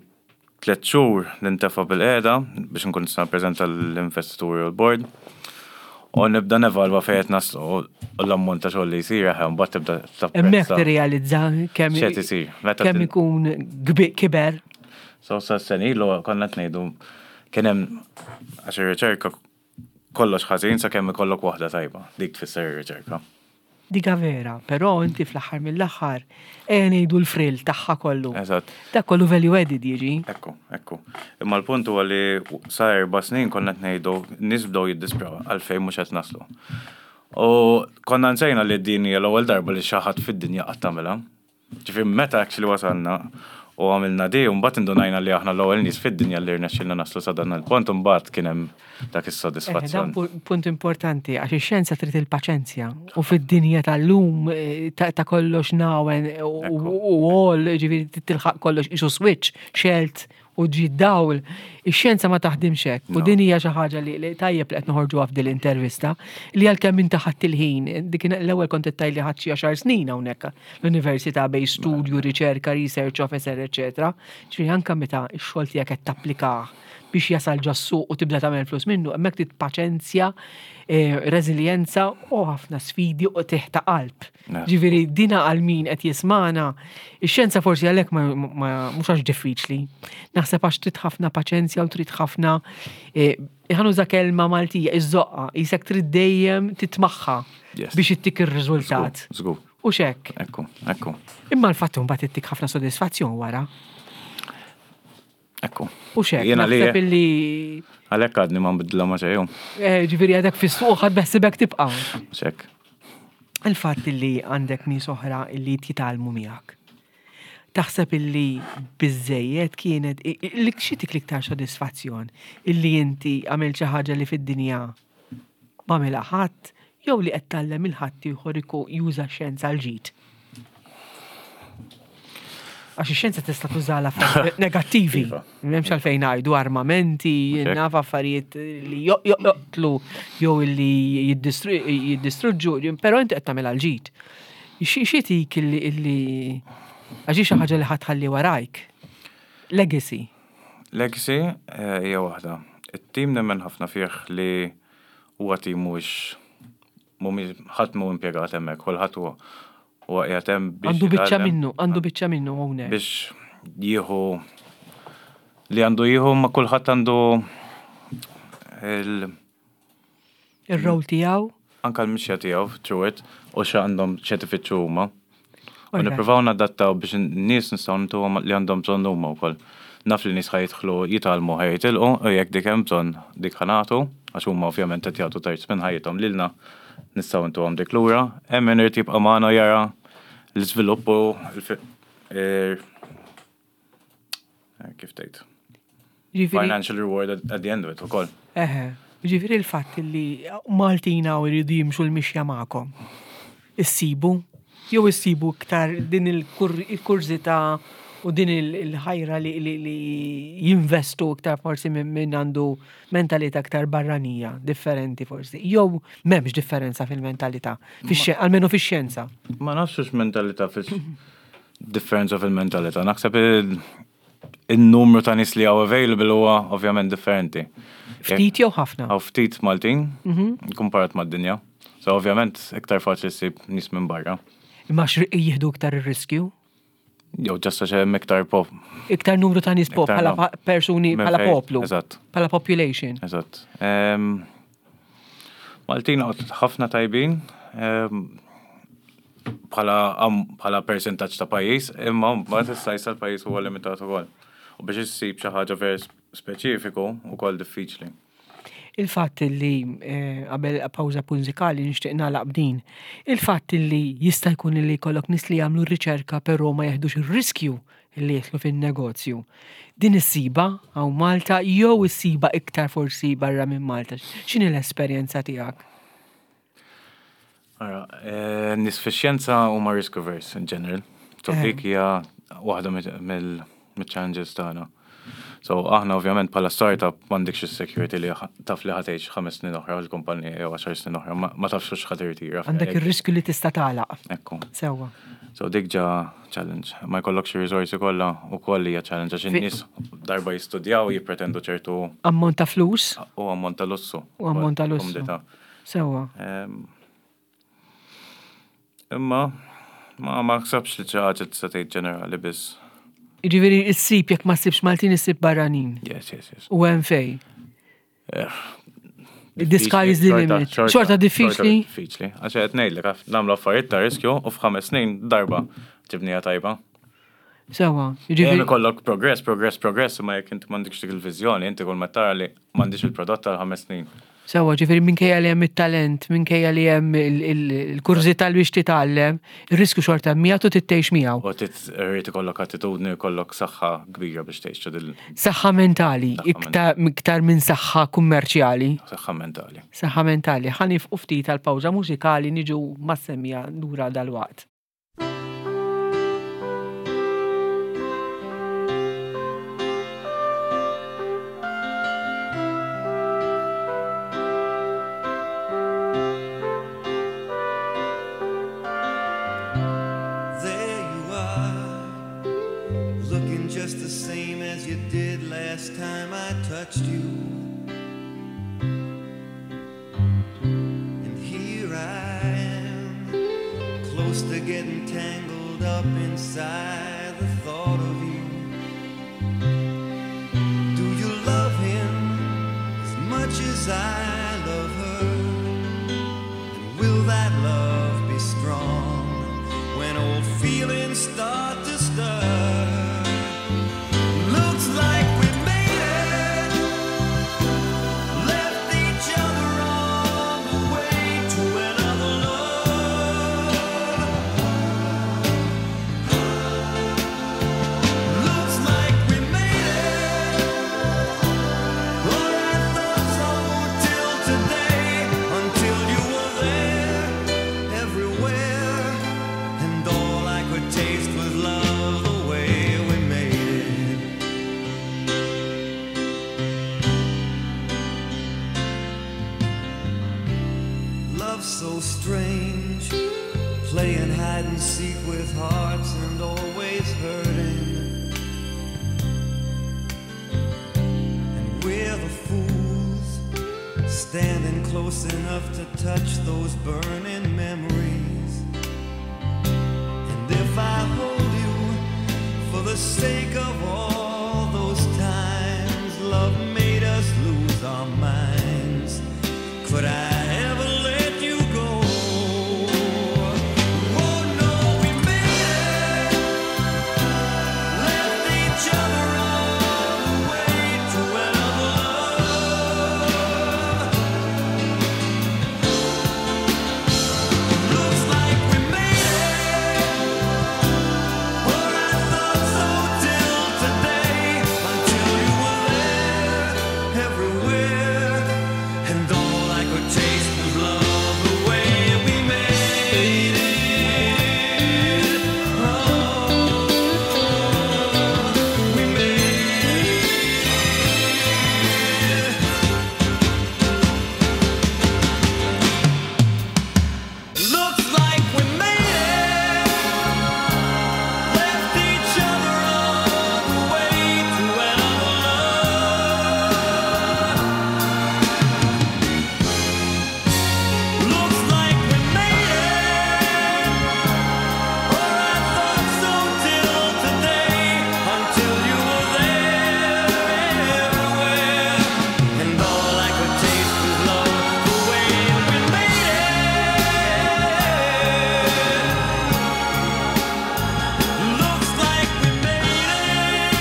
tliet xhur nintefa' bil-qiegħda biex nkun nista' nippreżenta l-investituri u l-board. U nibda nevalwa fejn qed naslu u l-ammont ta' xogħol li jsir eħe, mbagħad tibda Hemmhekk tapprezza tirrealizza kemm x'qed isir. Meta kemm tin- ikun gbi- kiber. So sa sena ilu konna qed ngħidu Kien hemm, għax ir-riċerka kollox ħażin sakemm ikollok waħda tajba. Dik tfisser ir-riċerka. Dika vera, però inti fl-aħħar mill-aħħar ejja ngħidu l-frill tagħha kollu. Eżatt. Dak kollu value added jiġi. Ekku, ekku. Imma l-punt huwa li sa erba' snin konna qed ngħidu, nies bdew jiddispraw għalfejn mhux qed naslu. U konna nsejna li din hija l-ewwel darba li xi ħadd fid-dinja qatt tagħmilha. Ġifieri meta actually wasalna u għamilna di, u mbagħad indunajna li aħna l-ewwel nies fid-dinja li rnexxilna naslu sa dan il-punt, u mbagħad kien hemm dak Eh, Dan is-sodisfazzjon. pu- punt importanti, għax ix-xjenza trid il-paċenzja u fid-dinja tal-lum eh, ta' ta' kollox nawen u Ekku. u all, ġifieri tilħaq kollox isu switch, xelt u ġi dawl. Ix-xjenza ma taħdimx hekk. U No. din hija xi ħaġa li li tajjeb li qed noħorġuha f'dil intervista li għalkemm inti ħadd il-ħin, dik l-ewwel kont qed tgħid li ħadd xi għaxar snin hawnhekk l-università bejn studju, riċerka, research officer, eċetera. Ġifieri anke meta x-xogħol tiegħek qed tapplikah biex jasal ġo s-suq u tibda tagħmel flus minnu, hemmhekk trid paċenzja, eh, reżiljenza u ħafna sfidi u teħta qalb. Ne. Ġifieri dina għal min qed jismana, ix-xjenza forsi għalhekk ma ma- mhux għax diffiċli. Naħseb għax trid ħafna paċenzja u trid ħafna eh, ħa nuża kelma Maltija, iż-żoqqa, jisek trid dejjem titmaħħa Yes. biex ittik ir-riżultat. Żgur, U xek. ekku, ekku, Imma l-fatt mbagħad ittik ħafna sodisfazzjon wara. ekku. U xek, Jiena li naħseb illi għalhekk għadni ma nbidla ma xejn. eh, ġifieri għadek fis-suq ħadd beħsibek tibqa'. Xek. Il-fatt illi għandek nies oħra illi jitgħallmu miegħek. Taħseb illi biżejjed kienet i- i- li xi tik l-iktar sodisfazzjon illi inti għamilt xi ħaġa li fid-dinja ma għamilha ħadd jew li qed tgħallem il-ħadd ieħor iku juża x-xjenza għal ġid. Għax ix-xjenza tista' tużala affarijiet negattivi. Iva. M'hemmx għalfejn ngħidu armamenti, Mhux hekk. naf affarijiet li jo- jo- joqtlu jew li jiddistru- jiddistruġġu, però inti qed tagħmel għal ġid. Xi xi tik illi illi għax hi xi ħaġa li ħa tħalli warajk. Legacy. Legacy eh, hija waħda. It-tim nemmen ħafna fih li huwa tim mhuwiex mhumiex ħadd mhu impjegat hemmhekk, kulħadd huwa huwa qiegħed hemm biex Għandu biċċa jitgħallem, minnu, għandu biċċa minnu hawnhekk. biex jieħu li għandu jieħu ma kulħadd għandu il Ir-rol tiegħu. anka l-mixja tiegħu through it u x'għandhom x'qed ifittxu huma. U Alright. nippruvaw nadattaw biex n-nies nistgħu ntuhom li għandhom bżonn huma wkoll. Naf li nies ħa jidħlu jitgħallmu, ħa jitilqu, u jekk dik hemm bżonn dik ħa nagħtu, għax huma ovvjament qed jagħtu terz minn ħajjithom lilna, nistgħu ntuhom dik lura. Hemm min irid jibqa' magħna jara l-iżvilupp u l- eh, kif tgħid? Ġifieri Financial reward at, at the end of it ukoll. Eħe, ġifieri il-fatt li Maltina u jridu jimxu l-mixja magħkom. Issibu, jew issibu iktar din il-kurżità u din il- il-ħajra li, li, li jinvestu iktar forsi minn min għandu mentalità iktar barranija, differenti forsi. Jew m'hemmx differenza fil-mentalità, fix- almenu fix-xjenza. Ma nafx mentalità fix differenza fil-mentalità. Naħseb il- il-numru ta' nies li hawn available huwa ovvjament differenti. Ftit jew ħafna. Hawn ftit Maltin, kumparat mad-dinja. So ovvjament iktar faċli ssib nies minn barra. Imma xri- jieħdu iktar ir-riskju. Jew just għax hemm iktar pop. Iktar numru ta' nies pop Iktar bħala nom. pa- persuni Minn bħala fejn- poplu. Eżatt. Bħala population. Eżatt. Em, Maltin għad ħafna tajbin, em, bħala am- bħala percentaġġ ta' pajjiż, imma mbagħad is-size tal-pajjiż huwa limitat ukoll. U biex issib xi ħaġa ver speċifiku ukoll diffiċli. Il-fatt li eh, qabel pawża mużikali nixtieq nagħlaq b'din. Il-fatt li jista' jkun li jkollok nies li jagħmlu r-riċerka però ma jeħdux ir-riskju li jidħlu fin-negozju. Din issiba hawn Malta jew issiba iktar forsi barra minn Malta. X'inhi l-esperjenza tiegħek? Ara, eh, nies fix-xjenza huma risk averse in general. So Eh. dik hija waħda mill-challenges tagħna. So aħna ovvjament bħala startup m'għandekx is-security li ħa- taf li ħa tgħix ħames snin oħra l-kumpanija jew għaxar snin oħra, ma ma tafx x'ħa tirtira. Għandek ir-riskju li tista' tagħlaq. Ekku. Sewwa. So dik ġa challenge. Ma jkollokx ir-risorsi kollha ukoll hija challenge għax Fi- in-nies darba jistudjaw jippretendu ċertu Ammont ta' flus u ammont ta' lussu. u ammont ta' lussu. Komdità. Sewwa. Em, Imma ma ma ħsabx li xi ħaġa tista' tgħid ġenerali biss. Ġifieri issib jekk ma ssibx Maltin issib barranin. Yes, yes, yes. U hemm fej. Eh, The sky is the limit. Xorta diffiċli? Diffiċli. Għax qed ngħidlek nagħmlu affarijiet ta' riskju u f'ħames snin darba ġibnija tajba. Sewa, Dejjem ġifieri. ikollok progress, progress, progress, imma jekk inti m'għandekx dik il-viżjoni, inti kull ma tara li m'għandix il-prodott tal ħames snin. Sewa, ġifieri minkejja li hemm it-talent, minkejja li hemm il-kurżità li biex titgħallem, ir-riskju xorta miegħu trid tgħix miegħu. U trid irid ikollok attitudni, ikollok saħħa kbira biex tgħix dil Saħħa mentali, Saħħa iktar iktar minn saħħa kummerċjali. saħħa mentali. Saħħa mentali. Ħa nieqfu ftit tal-pawża mużikali niġu mas-semmiegħa lura dal-waqt. There you are, looking just the same as you did last time I touched you. And here I am, close to getting tangled up inside the thought of you. Do you love him as much as I love her? And will that love be strong when old feelings start to stir? Looks like we made it, left each other on the way to another love. Looks like we made it. Or I thought so till today, until you were there, everywhere, and all I could taste was love the way we made it. Love's so strange, playing hide and seek with hearts and always hurting. And we're the fools standing close enough to touch those burning memories. And if I hold you for the sake of all those times love made us lose our minds, could I ever let you go? Oh no, we made it. Left each other on the way to another love. Looks like we made it. Or I thought so till today, until you were there, everywhere, and all I could taste was love the way we made it. Oh, we made it. Looks like we made it. Left each other on the way to another love. Looks like we made it. Or I thought so till today, until you were there everywhere, and all I could taste was love the way we made it. Looks like we made it.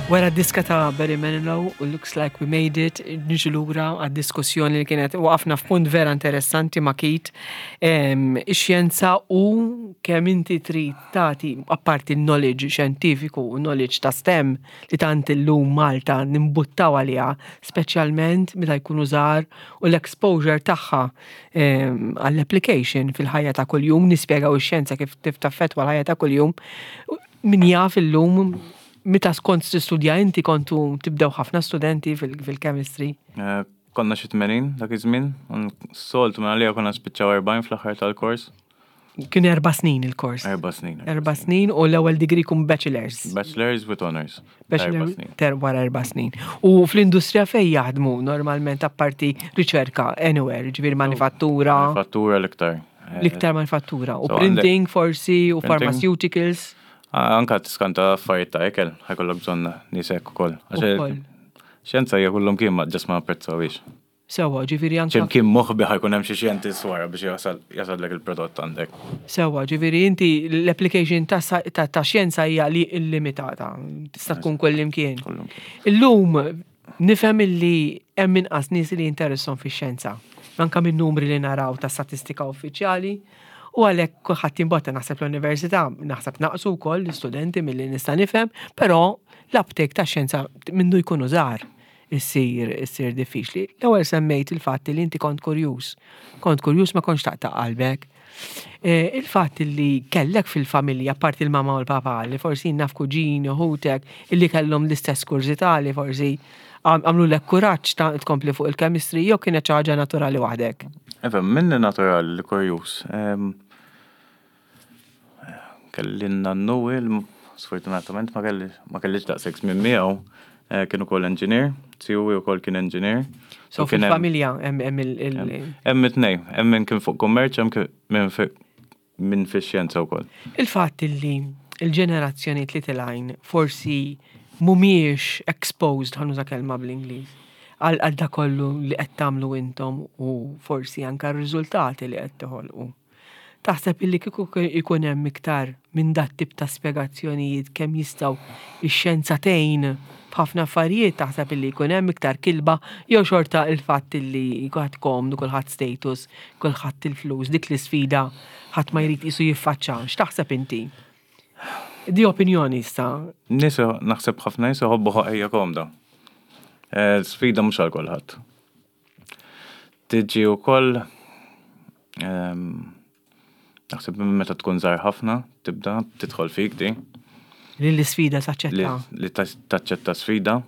Wara diska ta' Barry Manilow u Looks Like We Made It, niġu lura għad-diskussjoni li kienet waqafna f'punt vera interessanti ma' Keith, em, ix-xjenza u kemm inti trid tagħti apparti knowledge xjentifiku u knowledge ta' STEM li tant illum Malta nimbuttaw għaliha, speċjalment meta jkunu żgħar u l-exposure tagħha em, għall-application fil-ħajja ta' kuljum, nispjegaw ix-xjenza kif taffettwa l-ħajja ta' kuljum. Min jaf illum meta kont tistudja inti kontu tibdew ħafna studenti fil- fil-chemistry. Eh, Konna xi tmenin dak iż-żmien, soltu minn għalija konna spiċċaw erbgħin fl-aħħar tal-kors. Kien erba' snin il-kors. Erba' snin. Erba' snin u l-ewwel degree kun bachelors. Bachelors with honors. Bachelor Erba' snin. ter wara erba' snin. U fl-industrija fej jaħdmu normalment apparti riċerka anywhere, ġifieri manifattura. Manifattura l-iktar. L-iktar manifattura. U So għandek- printing forsi, u Printing. pharmaceuticals. Ah, Anka tiskanta affarijiet ta' ikel, ħa jkollok bżonn nies hekk ukoll. Għax Ukoll. Xjenza hija kullum kien ma ġas ma apprezzawix. Sewa, ġifieri anka. X'imkien moħbi ħa jkun hemm xi xjentist wara biex jasal jasallek il-prodott għandek. Sewa, ġifieri inti l-application ta' sa- ta' ta' xjenza hija li illimitata. Tista' tkun kullimkien. Kullum. Illum nifhem illi hemm inqas nies li jinteressahom fix-xjenza. Anka minn numri li naraw ta' statistika uffiċjali. U għalhekk kulħadd jimbotta naħseb l-università, naħseb naqsu wkoll l-istudenti milli nista' nifhem, però l-uptake ta' xjenza mindu jkunu żgħar issir issir diffiċli. L-ewwel semmejt il-fatt li inti kont kurjuż. Kont kurjuż ma kontx taqta' qalbek. Eh, Il-fatt li kellek fil-familja, parti il-mama u l-papa, li forsi naf kuġini u ħutek, illi kellhom l-istess kurżità li forsi għam- għamlu lek kuraġġ ta' tkompli fuq il-chemistry, jew kienet xi ħaġa naturali waħdek. Efa, minni naturali li kurjuż. Em, Kelli nannu il, sfortunatament ma kelli ma kellix daqshekk minn miegħu, eh, kien ukoll engineer, zijuwi ukoll kien engineer. So kien hemm- fil-familja hemm hemm il- il- Hemm it-tnejn, hemm min kien fuq kummerċ, hemm kien- min fi min fix-xjenza wkoll. Il-fatt li il-ġenerazzjoni li telgħin forsi mhumiex exposed, ħa nuża kelma bl-Ingliż, għal għal dak kollu li qed tagħmlu intom u forsi anka r-riżultati li qed toħolqu. Taħseb illi kieku ikun hemm iktar minn dat tip ta' spjegazzjonijiet kemm jistgħu ix-xjenza tgħin b'ħafna affarijiet taħseb illi jkun hemm iktar kilba jew xorta il-fatt illi kulħadd komdu, kulħadd status, kulħadd il-flus, dik l-isfida ħadd ma jrid isu jiffaċċa. X'taħseb inti? Di opinjoni issa. Nies naħseb ħafna nies iħobbu ħajja komda. Eh, Sfida mhux għal kulħadd. Tiġi wkoll ehm, naħseb minn meta tkun żgħar ħafna, tibda tidħol fik di Li l-isfida li, taċċetta. li ta- taċċetta sfida.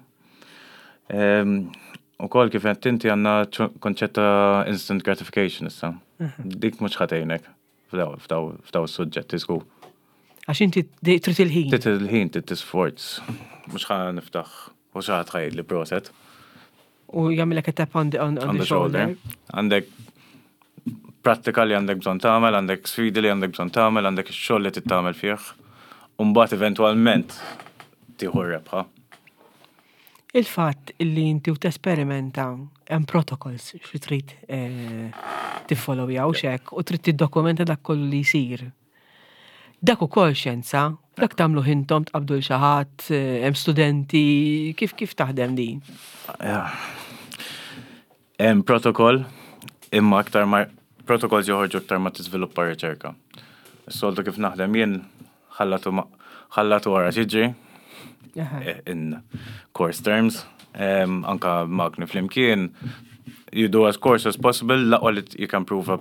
Ehm, Ukoll kif qed inti għandna ċo- konċett ta' instant gratification issa. Dik mhux ħa tgħinek f'daw f'daw f'daw is-suġġetti żgur. Għax inti di- trid il-ħin. Trid il-ħin trid tisforz. Mhux ħa niftaħ u xi ħadd ħa jgħidli proset U jagħmilek a tap on the, on, on on the the shoulder. shoulder. Għandek prattika li għandek bżonn tagħmel, għandek sfidi li għandek bżonn tagħmel, għandek ix-xogħol li trid tagħmel fih. U mbagħad eventwalment tieħu r-rebħa. Il-fatt illi inti u tesperimenta hemm protocols xi trid eh, tiffollowja u xek u trid tiddokumenta dak kollu li jsir. Dak ukoll xjenza, dak tagħmlu intom tqabdu l xi ħadd, eh, hemm studenti, kif kif taħdem din? Hemm protokoll imma aktar ma protokolls joħorġu aktar ma tiżviluppa riċerka. Is-soltu kif naħdem jien ħallatu ma- ħallatu wara xiġri eh, in course terms, um, anka magni flimkien, you do as coarse as possible, l-aqwa li you can prove a,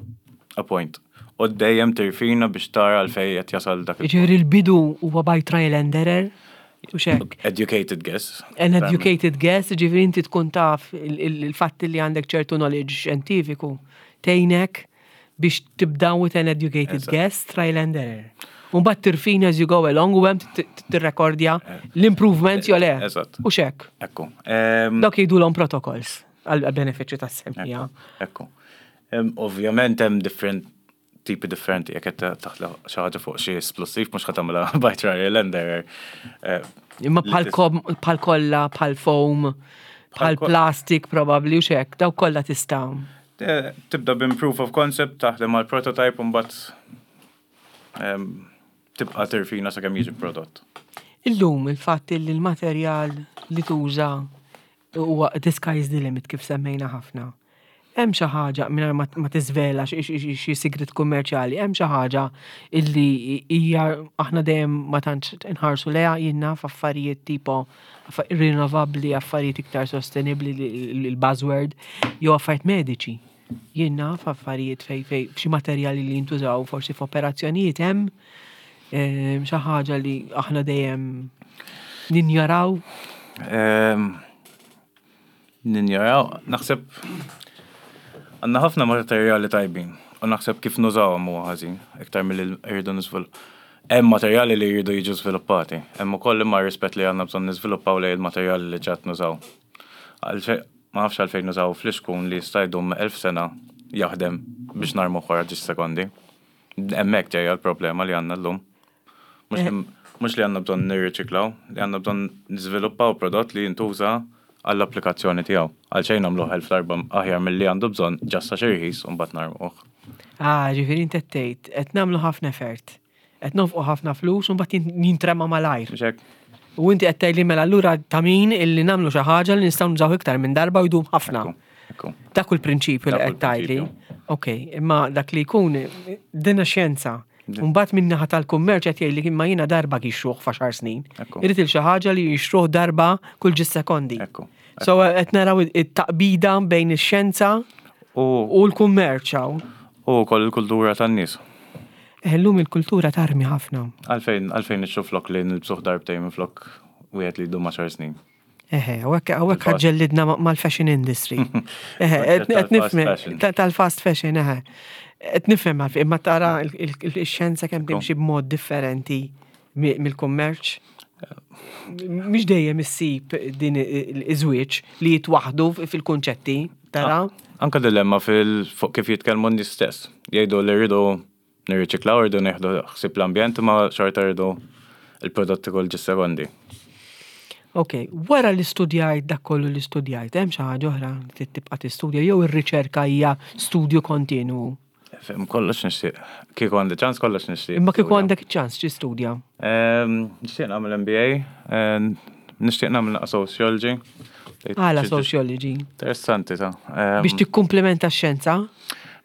a point. U dejjem tirfina biex tara għalfejn qed jasal dak il- Ġifieri l-bidu huwa by trial and error u xek. Educated guess. An educated guess, ġifieri inti tkun taf il- il- il-fatt li għandek ċertu knowledge xjentifiku tgħinek biex tibda with an educated Eżatt. guess, trial and error. U mbagħad tirfina as you go along u hemm tirrekordja l-improvements jew le. Eżatt. U xek. Ekku. Em, Dawk jgħidulhom protocols għal benefiċċju tas-semmiegħa. Ekku. Em, Ovvjament hemm different tipi differenti, jekk qed taħla xi ħaġa fuq xi esplosiv mhux ħa tagħmilha by trial and error. Eh, Imma li bħal tis- kom- bħal kolla, bħal foam, bħal ko- plastik probably u xek, daw kollha tista' Eh, Tibda bin proof of concept, taħdem għal prototype u mbagħad em, tibqa' tirfina sakemm jiġi prodott. Illum il-fatt li l-materjal li tuża huwa the sky is the limit kif semmejna ħafna. Hemm xi ħaġa mingħajr ma ma tiżvela xi- xi xi sigrit kummerċjali, hemm xi ħaġa illi hija aħna dejjem ma tantx inħarsu lejha jien naf affarijiet tipo affa- rinnovabbli, affarijiet iktar sostenibbli il-buzzword, jew affarijiet mediċi. Jien naf affarijiet fej fej xi materjali li jintużaw forsi f'operazzjonijiet hemm em, xi ħaġa li aħna dejjem ninjoraw. Em, Ninjoraw, naħseb għandna ħafna materjali tajbin u naħseb kif nużawhom huwa ħażin, iktar milli rridu niżvilupp. Hemm materjali li jridu jiġu żviluppati, hemm ukoll imma rispett li għandna bżonn niżviluppaw lejn il-materjali li ġat nużaw. Għalfej ma nafx għalfejn nużaw flixkun li jista' jdum elf sena jaħdem biex narmu wara ġiex sekondi. Hemmhekk ġejja l-problema li għandna llum. Mhux li- Mhux li għandna bżonn nirriċiklaw, li għandna bżonn niżviluppaw prodott li jintuża għall-applikazzjoni tiegħu. Għalxejn nagħmluh elf darba aħjar milli għandu bżonn just għax irħis u mbagħad narmuh. Ah, ġifieri inti qed tgħid, qed nagħmlu ħafna effort. Qed nonfqu ħafna flus u mbagħad jin- jintrema malajr. Mhux hekk? U inti qed tgħidli mela allura ta' min illi nagħmlu xi ħaġa li nistgħu nużaw iktar minn darba u jdum ħafna. Ekku, ekku. Dak hu l-prinċipju li Dak hu qed tgħidli. l-prinċipju. Ok, imma dak li jkun dina xjenza. Mbagħad min naħa tal-kummerċ qed jgħidli imma jiena darba jixtruh f'għaxar snin. Ekku. Irrid il xi ħaġa li jixtruh darba kull ġis sekondi. Ekku. So qed naraw it-taqbida bejn ix-xjenza U u l-kummerċ hawn. u wkoll il-kultura tan-nies. Illum il-kultura tarmi ħafna. Għalfejn għalfejn nixtru flok li nilbsuh darbtejn minn flok wieħed li jdum għaxar snin. Eħe, u hekk hawnhekk Il-fast. ġellidna ma- mal-fashion industry. Eħe, qed qed Tal-fast nifhem fashion. ta- tal-fast fashion, eħe. Qed nifhem għalfejn, imma tara il- il- il-xjenza kemm timxi b'mod differenti mi- mill-kummerċ. Mhix dejjem issib din iż-żwieġ li jitwaħdu fil-kunċetti, tara? Anka dilemma fil fuq kif jitkellmu n-nies stess. Jgħidu li rridu nirriċiklaw, rridu nieħdu ħsieb l-ambjent, ma xorta rridu il-prodotti kull ġis sekondi. Ok, wara li studjajt dak kollu li studjajt, hemm xi ħaġa oħra li tibqa' tistudja jew ir-riċerka hija studju kontinu. Fem kollox nixtieq. Kieku għandi ċans kollox nixtieq. Imma kieku għandek ċans tistudja. Ehm, Nixtieq nagħmel M B A, ehm, nixtieq nagħmel naqra sociology. Għala sociology. Interessanti ta' Ehm, Biex tikkumplementa x-xjenza?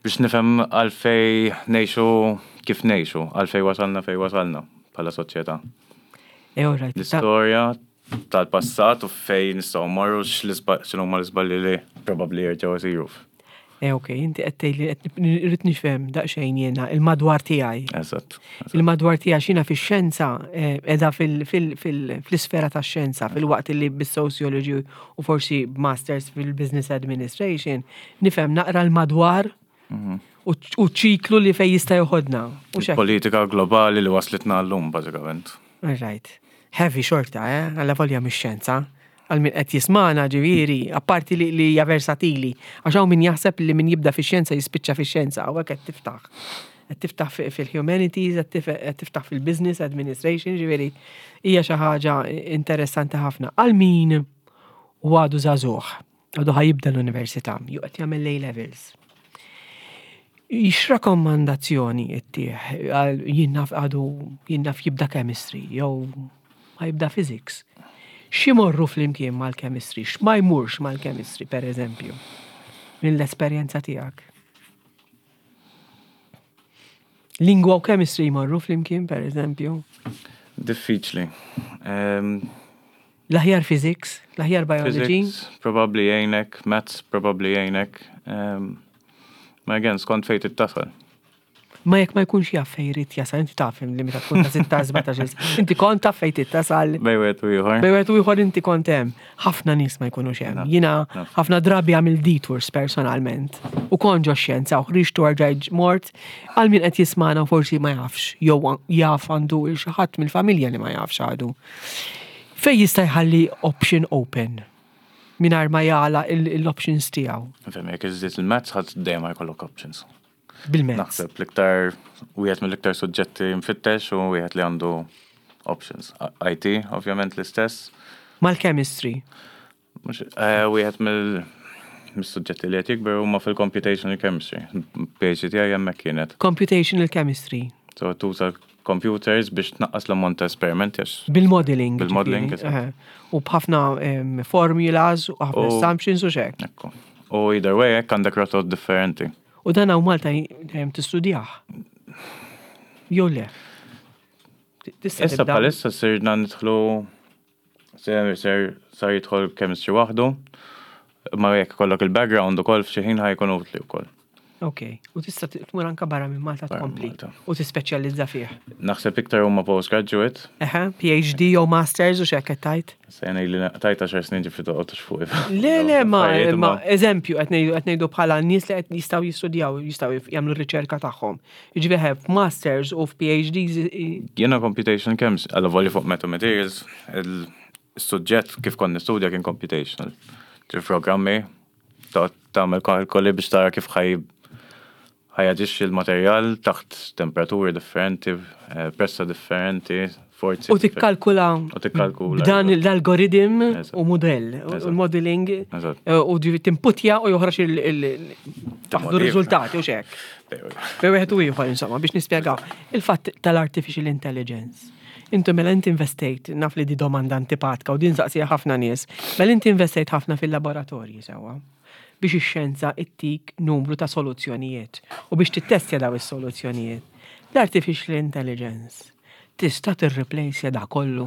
Biex nifhem għalfej ngħixu kif ngħixu, għalfej wasalna fej wasalna bħala soċjetà. Eh, all right. Ta- L-istorja tal-passat u fej nistgħu mmorru, x'inhuma l-iżbalji li probabbli jerġgħu isiru. Eh, ok, inti qed tgħidli qed irrid nifhem daqsxejn jiena il-madwar tiegħi. Eżatt. eżatt. Il-madwar tiegħi xina fix-xjenza eh, qiegħda fil- fil- fil- fl-isfera tax-xjenza, fil-waqt li bis-sociology u forsi masters fil-business administration nifhem naqra l-madwar u u ċiklu li fej jista' joħodna. U xek. Politika globali li waslitna llum, bażikament. All right. Heavy xorta, eh? Għalla volja mix-xjenza. Għal min qed jismana ġifieri, apparti li li hija versatili. Għax hawn min jaħseb li min jibda fix-xjenza jispiċċa fix-xjenza, hawnhekk qed tiftaħ. Qed tiftaħ fi- fil-humanities, qed tif- qed tiftaħ fil-business administration, ġifieri hija xi ħaġa interessanti ħafna. Għal min u għadu żagħżugħ, għadu ħa jibda l-università, jew qed jagħmel A levels. X'rakkomandazzjoni ittih għal jien naf għadu jien naf jibda chemistry jew ma jibda physics? X'imorru flimkien mal-chemistry, x'ma jmurx mal-chemistry, per eżempju, mill-esperjenza tiegħek? Lingwa u chemistry jmorru flimkien, per eżempju? Diffiċli. Ehm, L-aħjar physics, l-aħjar biology? Physics, probably jgħinek, maths, probably jgħinek. Um, ma again, skont fejn tasal. Ma jekk ma jkunx jaf fejn jrid jasal, inti taf li meta tkun ta' sittax sbatax, inti kont taf fejn tasal. Bejn wieħed u ieħor. Bejn wieħed u ieħor inti kont hemm. Ħafna nies ma jkunux hemm. Naf, Jiena naf. ħafna drabi għamil detours personalment. U kont ġo xjenza u ħriġt u rġajt mort, għal min qed jismana u forsi ma jafx jew jaf għandu il xi ħadd mill-familja li ma jafx għadu. Fej jista' jħalli option open mingħajr ma jagħlaq l-options tiegħu? Fem, jekk iżżid il-maths, ħadd dejjem jkollok options. Bil-mezz. Naħseb l-iktar, wieħed mill-iktar suġġetti mfittex u wieħed li għandu options. I T, ovvjament l-istess. Mal-chemistry. Mhux, eh, wieħed mill mis-suġġetti li qed jikber huma fil-computational chemistry. P H D tiegħi hemmhekk kienet. Computational chemistry. So tuża computers biex tnaqqas l-ammont ta' esperimenti għax Bil-modeling. Bil-modeling, ġifieri, eżatt. eħe. U b'ħafna em, formulas u ħafna U- assumptions u xek. Ekku. U either way, hekk għandek rotot differenti. U dan hawn Malta jem tistudjah. Jew le? Tista' Issa tibda- bħalissa sirna nidħlu ser ser sar jidħol chemistry waħdu, ma jekk kollok il-background ukoll f'xi ħin ħa jkun utli wkoll. Ok. U tista' tmur anka barra minn Malta Barra minn tkompli. Malta. U tispeċjalizza fih. Naħseb iktar huma postgraduate, Eħe, P H D jew masters u xek qed tajt. sejna li tajt għaxar snin ġifri toqgħodux fuq. Le, le, ma, Affarijiet, ma eżempju, qed ngħidu qed ngħidu bħala nies li qed jistgħu jistudjaw, jistgħu jagħmlu r-riċerka tagħhom. Jiġifieri f'masters u f'P H Ds i- Jiena computational chemistry, għalla volja fuq metamaterials, il-suġġett kif kont nistudja kien computational. Ġi programmi, ta' tagħmel kalkoli biex tara kif ħaj ħa jaġixxi l-materjal taħt temperaturi differenti, eh, pressa differenti, forzi. U tikkalkula U tikkalkula. b'dan l-algoritm Eżatt. u modell, u Eżatt. l-modeling, Eżatt. eh, u ġifi timputja u joħroġ il- taħdu r-riżultati u xek. Bej wieħed u ieħor insomma biex nispjegaw il-fatt tal-artificial intelligence. Intu mela inti investejt, naf li di domanda antipatka u din saqsija ħafna nies, mela inti investejt ħafna fil-laboratorji sewwa biex ix-xjenza ittik numru ta' soluzzjonijiet u biex tittestja daw is-soluzzjonijiet. L-artificial intelligence tista' tirreplace da kollu.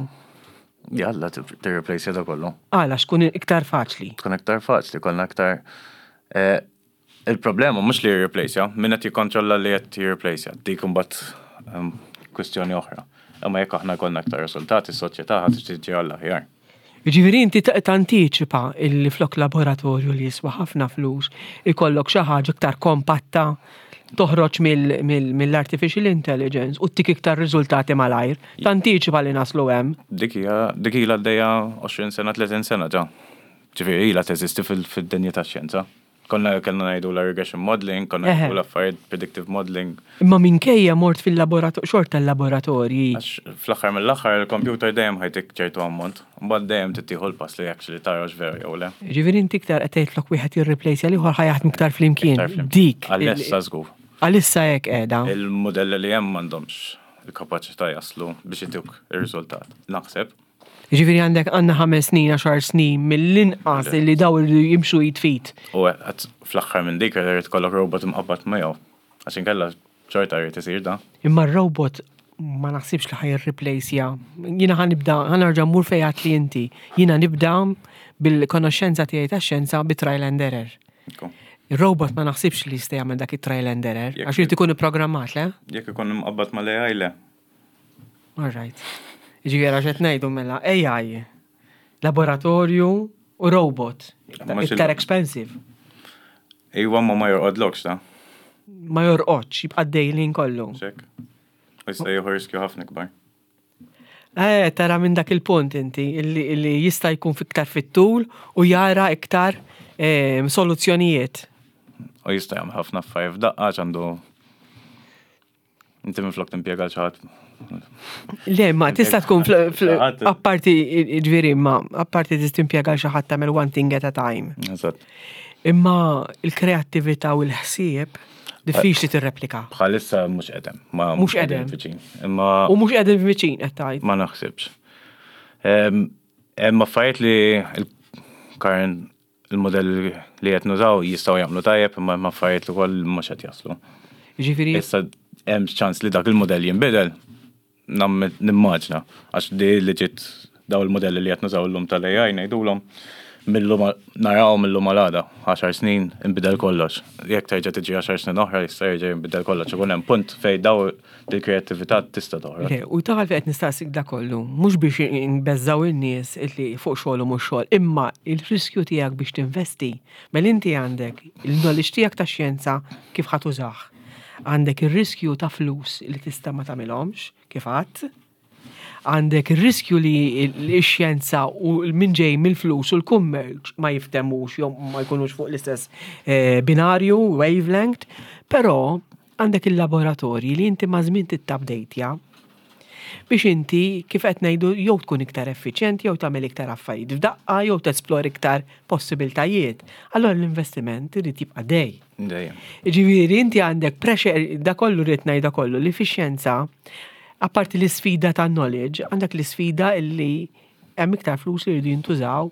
Jalla, tirreplace da kollu. Għala xkun iktar faċli. Tkun iktar faċli, kollna iktar. eh, Il-problema mhux li jirreplace, min qed jikkontrolla li qed jirreplace, dik imbagħad ehm, kwistjoni oħra. Imma jekk aħna kollna aktar riżultati, s-soċjetà ħadd tiġi għall aħjar. Ġifieri inti ta- tantiċipa illi flok laboratorju li jiswa ħafna flus, ikollok xi ħaġa iktar kompatta toħroġ mill- mill- mill-artificial intelligence u tik iktar riżultati malajr. Tantiċipa li naslu hemm. Dik hija dik ilha għaddejja għoxrin sena, tletin sena ġa. Ġifieri ilha teżisti fil- fid-dinja tax-xjenza. Konna kellna ngħidu la regression modeling, konna Eħe. ngħidu l-affarijiet predictive modeling. Imma minkejja mort fil-laboratorju, xorta l-laboratorji. Għax fl-aħħar mill-aħħar il-computer dejjem ħa jtik ċertu ammont, mbagħad dejjem tittieħu l-pass li actually tara vera jew le. Ġifieri inti iktar qed tgħid flok wieħed jirreplace l ieħor ħa jaħdem iktar flimkien. Iktar flimkien. Dik. Għalissa żgur. Għalissa hekk qiegħda. Il-modelli li hemm m'għandhomx il-kapaċità jaslu biex ituk ir-riżultat. Naħseb. Ġifieri għandek għandna ħames snin, għaxar snin mill-inqas li daw irridu jimxu id f'id. U għat fl-aħħar minn dik irid ikollok robot imqabbad miegħu. Għax inkella xorta jrid isir da. Imma r-robot ma naħsibx li ħa jirreplace Jiena ħa nibda, ħa nerġa' mmur fejn li inti. Jiena nibda bil-konoxxenza tiegħi tax-xjenza bi trial and error. Ekku. Il-robot ma naħsibx li jista' jagħmel dak it-trial and error, Jekk- għax irid ikun ipprogrammat, le? Jekk ikun imqabbad mal-A I, le. All right. Ġifieri għax qed ngħidu mela A I, laboratorju u robot. Mhux il- Iktar expensive. Iwa ma ma jorqodlokx da. Ma jorqodx, jibqa' dejlin kollu. Xek. U jista' jieħu riskju ħafna kbar. Eh, tara minn dak il-punt inti, illi, illi jista' jkun fiktar fit-tul u jara iktar eh, soluzzjonijiet. U jista' jagħmel ħafna affarijiet f'daqqa għax għandu inti minflok timpjega l xi ħadd. Le, ma tista' tkun fl- fl- Xi ħadd- apparti ġifieri, ma apparti tista' timpjega l xi ħadd tagħmel one thing at a time. Eżatt. Imma il-kreattività u l-ħsieb diffiċli tirreplika. Bħalissa mhux qedem. Ma Mhux qedem. viċin. Imma U mhux qegħdin viċin qed tgħid. ma naħsibx. Em, Hemm affarijiet li il-current il-modell li qed nużaw jistgħu jagħmlu tajjeb, imma hemm affarijiet li wkoll mhux qed jaslu. Ġifieri Issa hemm ċans li dak il-modell jinbidel. Nam- Nimmaġna, għax di li ġiet daw il-modelli li qed nużaw illum tal-A I ngħidulhom millum naraw millum għal-għada, għaxar snin inbidel kollox. Jekk terġa' tiġi għaxar snin oħra jista' jerġa' jinbidel kollox. Ikun hemm punt fejn daw il-kreattività tista' toħroġ. Le, u taħal fejn qed nistaqsik da kollu, mhux biex nbeżżaw in-nies illi fuq xogħol u mhux xogħol, imma il-riskju tiegħek biex tinvesti, mela inti għandek il-knowledge tiegħek ta' xjenza kif ħa tużah. Għandek ir-riskju ta' flus li tista' ma tagħmilhomx, kif għadt. Għandek ir-riskju li x-xjenza u min ġej mill-flus u l-kummerċ ma jiftemux jew ma jkunux fuq l-istess eh, binarju, wavelength, però għandek il-laboratorji li inti ma' żmien tittabdejtja biex inti kif qed ngħidu jew tkun iktar effiċjenti jew tagħmel iktar affarijiet f'daqqa jew tesplor iktar possibiltajiet. Allora l-investiment irid jibqa' dej. Dejjem. Ġifieri inti għandek pressure da kollu rrid ngħid kollu li fix-xjenza apparti l-isfida ta' knowledge, għandek l-isfida illi hemm iktar flus li jridu jintużaw,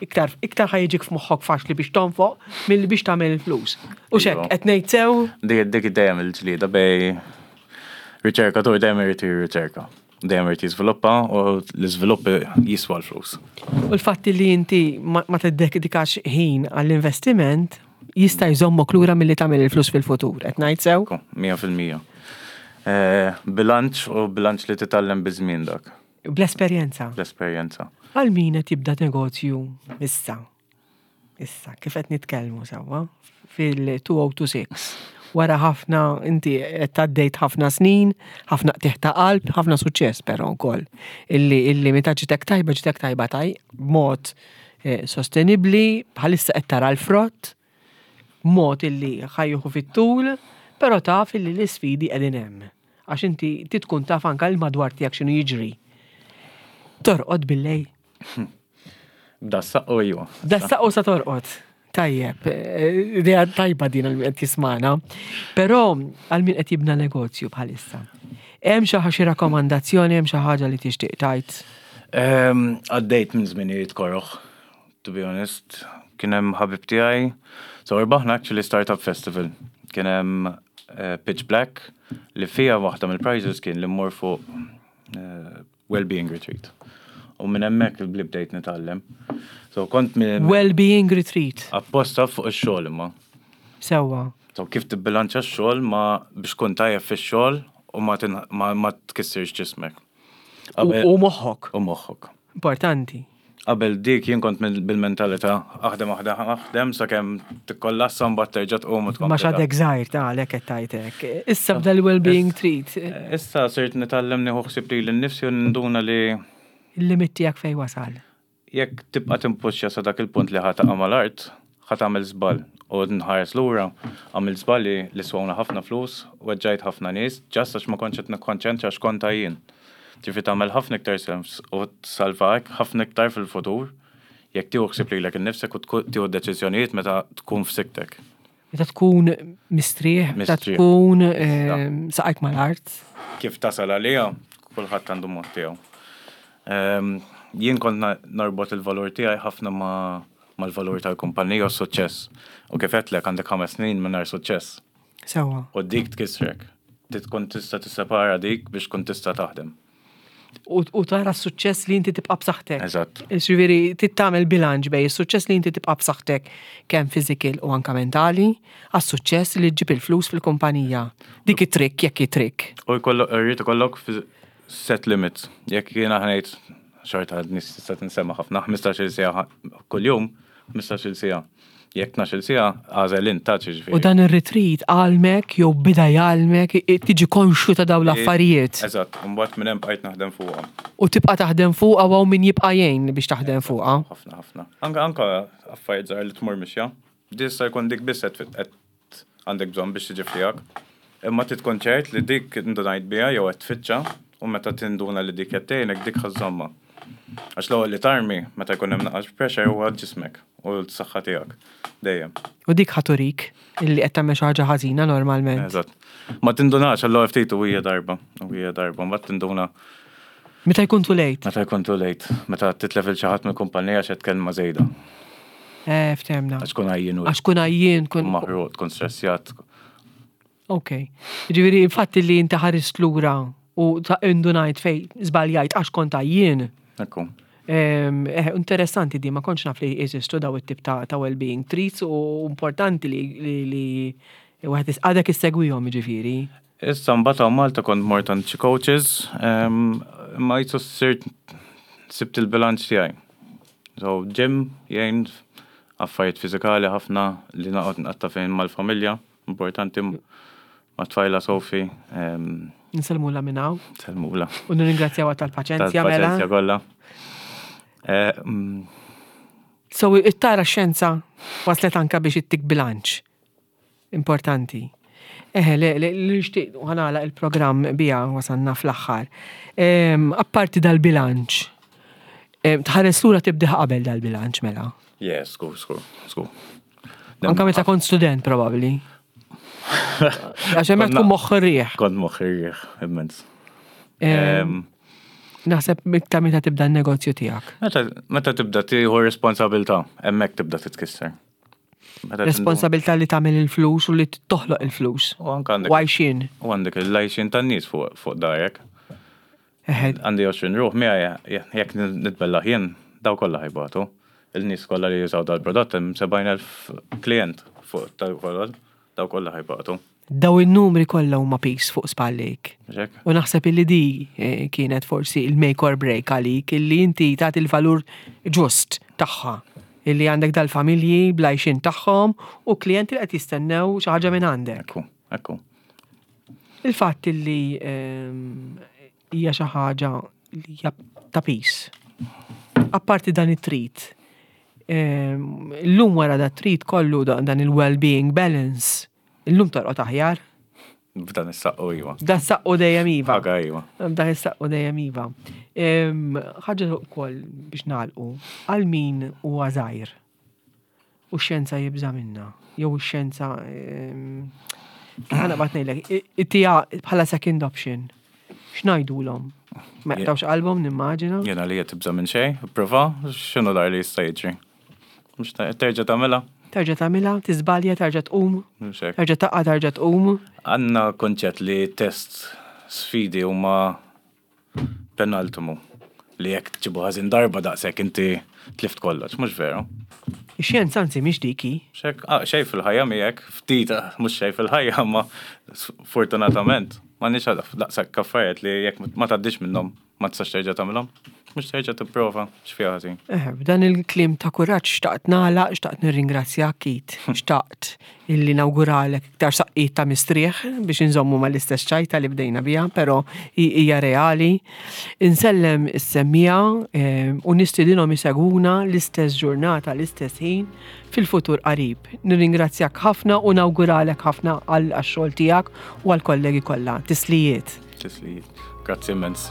iktar iktar ħa jiġik f'moħħok faċli biex tonfoq milli biex tagħmel il-flus. U xek, Iva. qed ngħid sew, Dik dik dejjem il-ġlieda bej riċerkatur dejjem irid jirriċerka. Dejjem irid jiżviluppa u l-iżvilupp jiswa l-flus. U l-fatt li inti ma ma tiddedikax ħin għall-investiment jista' jżommok lura milli tagħmel il-flus fil-futur. Qed ngħid sew? Ekku, mija fil-mija. Eh, Bilanċ u bilanċ li titgħallem biż-żmien dak, Bl-esperjenza. l-esperjenza. Għal min qed jibda negozju issa. Issa, kif qed nitkellmu sewwa fil-elfejn u sitta u għoxrin. Wara ħafna, inti qed għaddejt ħafna snin, ħafna qtigħ ta' qalb, ħafna suċċess però wkoll. Illi illi meta ġitek tajba ġitek tajba taj b'mod eh, sostenibbli, bħalissa qed tara l-frott, mod illi ħa jieħu fit-tul, Però taf li l-isfidi qegħdin hemm. Għax inti tkun taf anka l-madwar tiegħek x'inhu jiġri. Torqod billejl. Da saqqu iwa. Da saqqu sa torqod. Tajjeb, eh, idea tajba din għal min qed jismana. Però għal min qed jibna negozju bħalissa. Hemm xi ħaġa, xi rakkomandazzjoni, hemm xi ħaġa li tixtieq tajt? Ehm, Għaddejt minn żminijiet koroħ, to be honest. Kien hemm ħabib tiegħi. So rbaħna actually Startup Festival. Kien hemm eh, Pitch Black li fija waħda mill-prizes kien li mmur fuq eh, well-being retreat. U minn hemmhekk li bdejt nitgħallem. So kont minn Well-being retreat. Apposta fuq ix-xogħol imma. Sewwa. So kif tibbilanċa x-xogħol ma biex tkun tajjeb fix-xogħol u ma, tin- ma, ma tkissirx ġismek. U Qabel- u moħħok. U moħħok. Importanti. Qabel dik jien kont mill- bil-mentalità aħdem, aħdem, aħdem sakemm tikkollassa, mbagħad terġa' tqum u tkompli. Ma xadek żgħir ta' għalhekk qed tajtek. Issa bda l-well-being retreat. Issa sirt nitgħallem nieħu ħsieb lili nnifsi u ninduna li Il-limit tiegħek fejn wasal. Jekk tibqa' timpuxxa sa dak il-punt li ħa taqa' mal-art, ħa tagħmel żball. U nħares lura, għamil żballi li swawna ħafna flus, weġġajt ħafna nies, just għax ma kontx qed nikkonċentra x'kont jien. Ġifi tagħmel ħafna iktar sens u tsalvak ħafna iktar fil-futur jekk tieħu ħsieb lilek innifsek u tku- tieħu deċiżjonijiet meta tkun f'siktek. Meta tkun mistrieħ, meta Mistrieħ. tkun eh, saqajk mal-art. Kif tasal għalija, kulħadd għandu mod tiegħu. Ehm, Jien kont na- norbot il-valur tiegħi ħafna ma mal-valur tal-kumpanija u s-suċċess. U kif għedtlek, għandek ħames snin mingħajr suċċess. Sewwa. U dik tkissrek. Trid tkun tista' tissepara dik biex tkun tista' taħdem. U u tara s-suċċess li inti tibqa' b'saħħtek. Eżatt. Ġifieri, trid tagħmel bilanċ bejn is-suċċess li inti tibqa' b'saħħtek kemm physical u anka mentali, għas-suċċess li ġġib il-flus fil-kumpanija. Dik it-trick, jekk it-trick. U jkollok, irrid ikollok fi- set limits. Jekk jiena ħa ngħid xorta nies tista' tinsema ħafna, ħmistax-il siegħa kuljum, ħmistax-il siegħa. Jekk tnax-il siegħa, għażel int ta' ġifieri. U dan ir-retreat għallmek jew bida jgħallmek i- tiġi konxju ta' dawn l-affarijiet. Eżatt, u mbagħad minn hemm bqajt naħdem fuqhom. U tibqa' taħdem fuqha u min jibqa' jgħin biex taħdem fuqha. Ħafna, ħafna. Anka anka affarijiet żgħar li tmur mixja. Dista jkun dik biss qed qed għandek bżonn biex tiġi fijak. Imma trid tkun ċert li dik indunajt biha jew qed tfittxa u meta tinduna li dik qed tgħinek, dik ħa żżommha. Għax l-ewwel li tarmi meta jkun hemm naqas pressure huwa ġismek u l-saħħa tiegħek. Dejjem. U dik ħa turik illi qed tagħmel xi ħaġa ħażina normalment. Eżatt. Ma tindunax għall ftit u hija darba, u hija darba, mbagħad tinduna Meta jkun too late. Meta jkun too late, meta titlef il xi ħadd mill-kumpanija x'qed kelma żejda. Eh, ftehmna. Għax kun għajjien u Għax kun għajjien kun. maħruq, tkun stressjat. Ok. Ġifieri, infatti li inti ħarist lura u ta' indunajt fej żbaljajt għax kont għajjien. Ekku. Em, Eh, interessanti di, ma kontx naf li jeżistu daw it-tip ta', ta' well-being retreats u importanti li li li wieħed is- għadek issegwihom ġifieri. Issa mbagħad hawn Malta kont mort għand xi coaches, em, ma jisu sirt sibt il-bilanċ tiegħi. So gym jgħin, affarijiet fiżikali ħafna li naqgħod nqatta' fejn mal-familja, importanti ma' tfajla Sofi, em, Nsellmulha minn hawn Sellmulha. u nirringrazzjawha tal-paċenzja mela. Tal-paċenzja kollha. Eh, mm, So it-tara xjenza waslet anka biex ittik bilanċ. Importanti. Eħe, le, le, li nixtieq ħa nagħlaq il-programm bija, wasanna fl-aħħar. Em, Apparti dal-bilanċ, em, tħares lura tibdiħ qabel dal-bilanċ mela. Yes, skur, skur, skur. Anka meta kont student probably. Għax hemmhekk tkun moħħ ir-riħ. Kont moħħ ir-riħ, immens. Em, Em, Naħseb iktar meta tibda n-negozju tiegħek. Meta meta tibda tieħu responsabilità, hemmhekk tibda titkisser. Meta tindu- Responsabilità li tagħmel il-flus u li toħloq il-flus. U anka għandek Għajxin. U għandek il-għajxien tan-nies fuq fuq darek. Eħe, Għandi għoxrin ruħ miegħi, jekk nitbella jien, daw kollha ħa jbatu. Il-nies kollha li jużaw dal-prodott, hemm sebgħin elf klient fuq tal-prodott, daw kollha ħa jbatu. Daw in-numri kollha huma piż fuq spallejk. Ġek? U naħseb illi di eh, kienet forsi il-make or break għalik, illi inti tagħti il-valur ġust tagħha. Illi għandek dal-familji bl-għajxien tagħhom u klijenti li qed jistennew xi ħaġa minn għandek. Ekku, ekku. Il-fatt illi ehm, hija xi ħaġa li hija ta' piż. Apparti dan it-retreat, ehm, illum wara da retreat kollu da- dan il-well-being balance, illum torqod aħjar. B'dan is-saqqu iva. Dan saqqu dejjem iva. Ħaga iva. Dan is-saqqu dejjem iva. Em, Ħaġa wkoll biex nagħlqu, għal min huwa żgħir u x-xjenza jibża' minna, jew ix-xjenza em, ħa naqbad ngħidlek, ittiha bħala second option. X'ngħidulhom? Ma jaqtgħux qalbhom, nimmaġina. Jena li qed tibża' minn xejn, prova, x'inhu dar li jista' jiġri. Mhux ta- terġa' tagħmilha? Terġa' tagħmilha, tiżbalja, terġa' tqum, Mhux hekk. terġa' taqa' terġa' tqum. Għandna konċett li test sfidi huma penultimu li jekk tġibu ħażin darba daqshekk inti tlift kollox, mhux veru. Ix-xjenza anzi mhix diki. Xek, ah, xej fil-ħajja miegħek, ftit, ah, mhux xej fil-ħajja, ma fortunatament ma nix daqshekk affarijiet li jekk ma tgħaddix minnhom ma tistax terġa' tagħmilhom, mhux terġa' tipprova x'fiha ħażin. Eh, b'dan il-kliem ta' kuraġġ xtaqt nagħlaq, xtaqt nirringrazzjak, Keith, xtaqt illi nawguralek iktar saqqiet ta' mistrieħ biex inżommu mal-istess ċajta li bdejna biha, però hi- hija reali. Insellem is-semmiegħa eh, u nistidinhom isegwuna l-istess ġurnata, l-istess ħin fil-futur qarib. Nirringrazzjak ħafna u nawguralek ħafna għal għax-xogħol tiegħek u għall-kollegi kollha. Tislijiet. Tislijiet. Grazzi immens.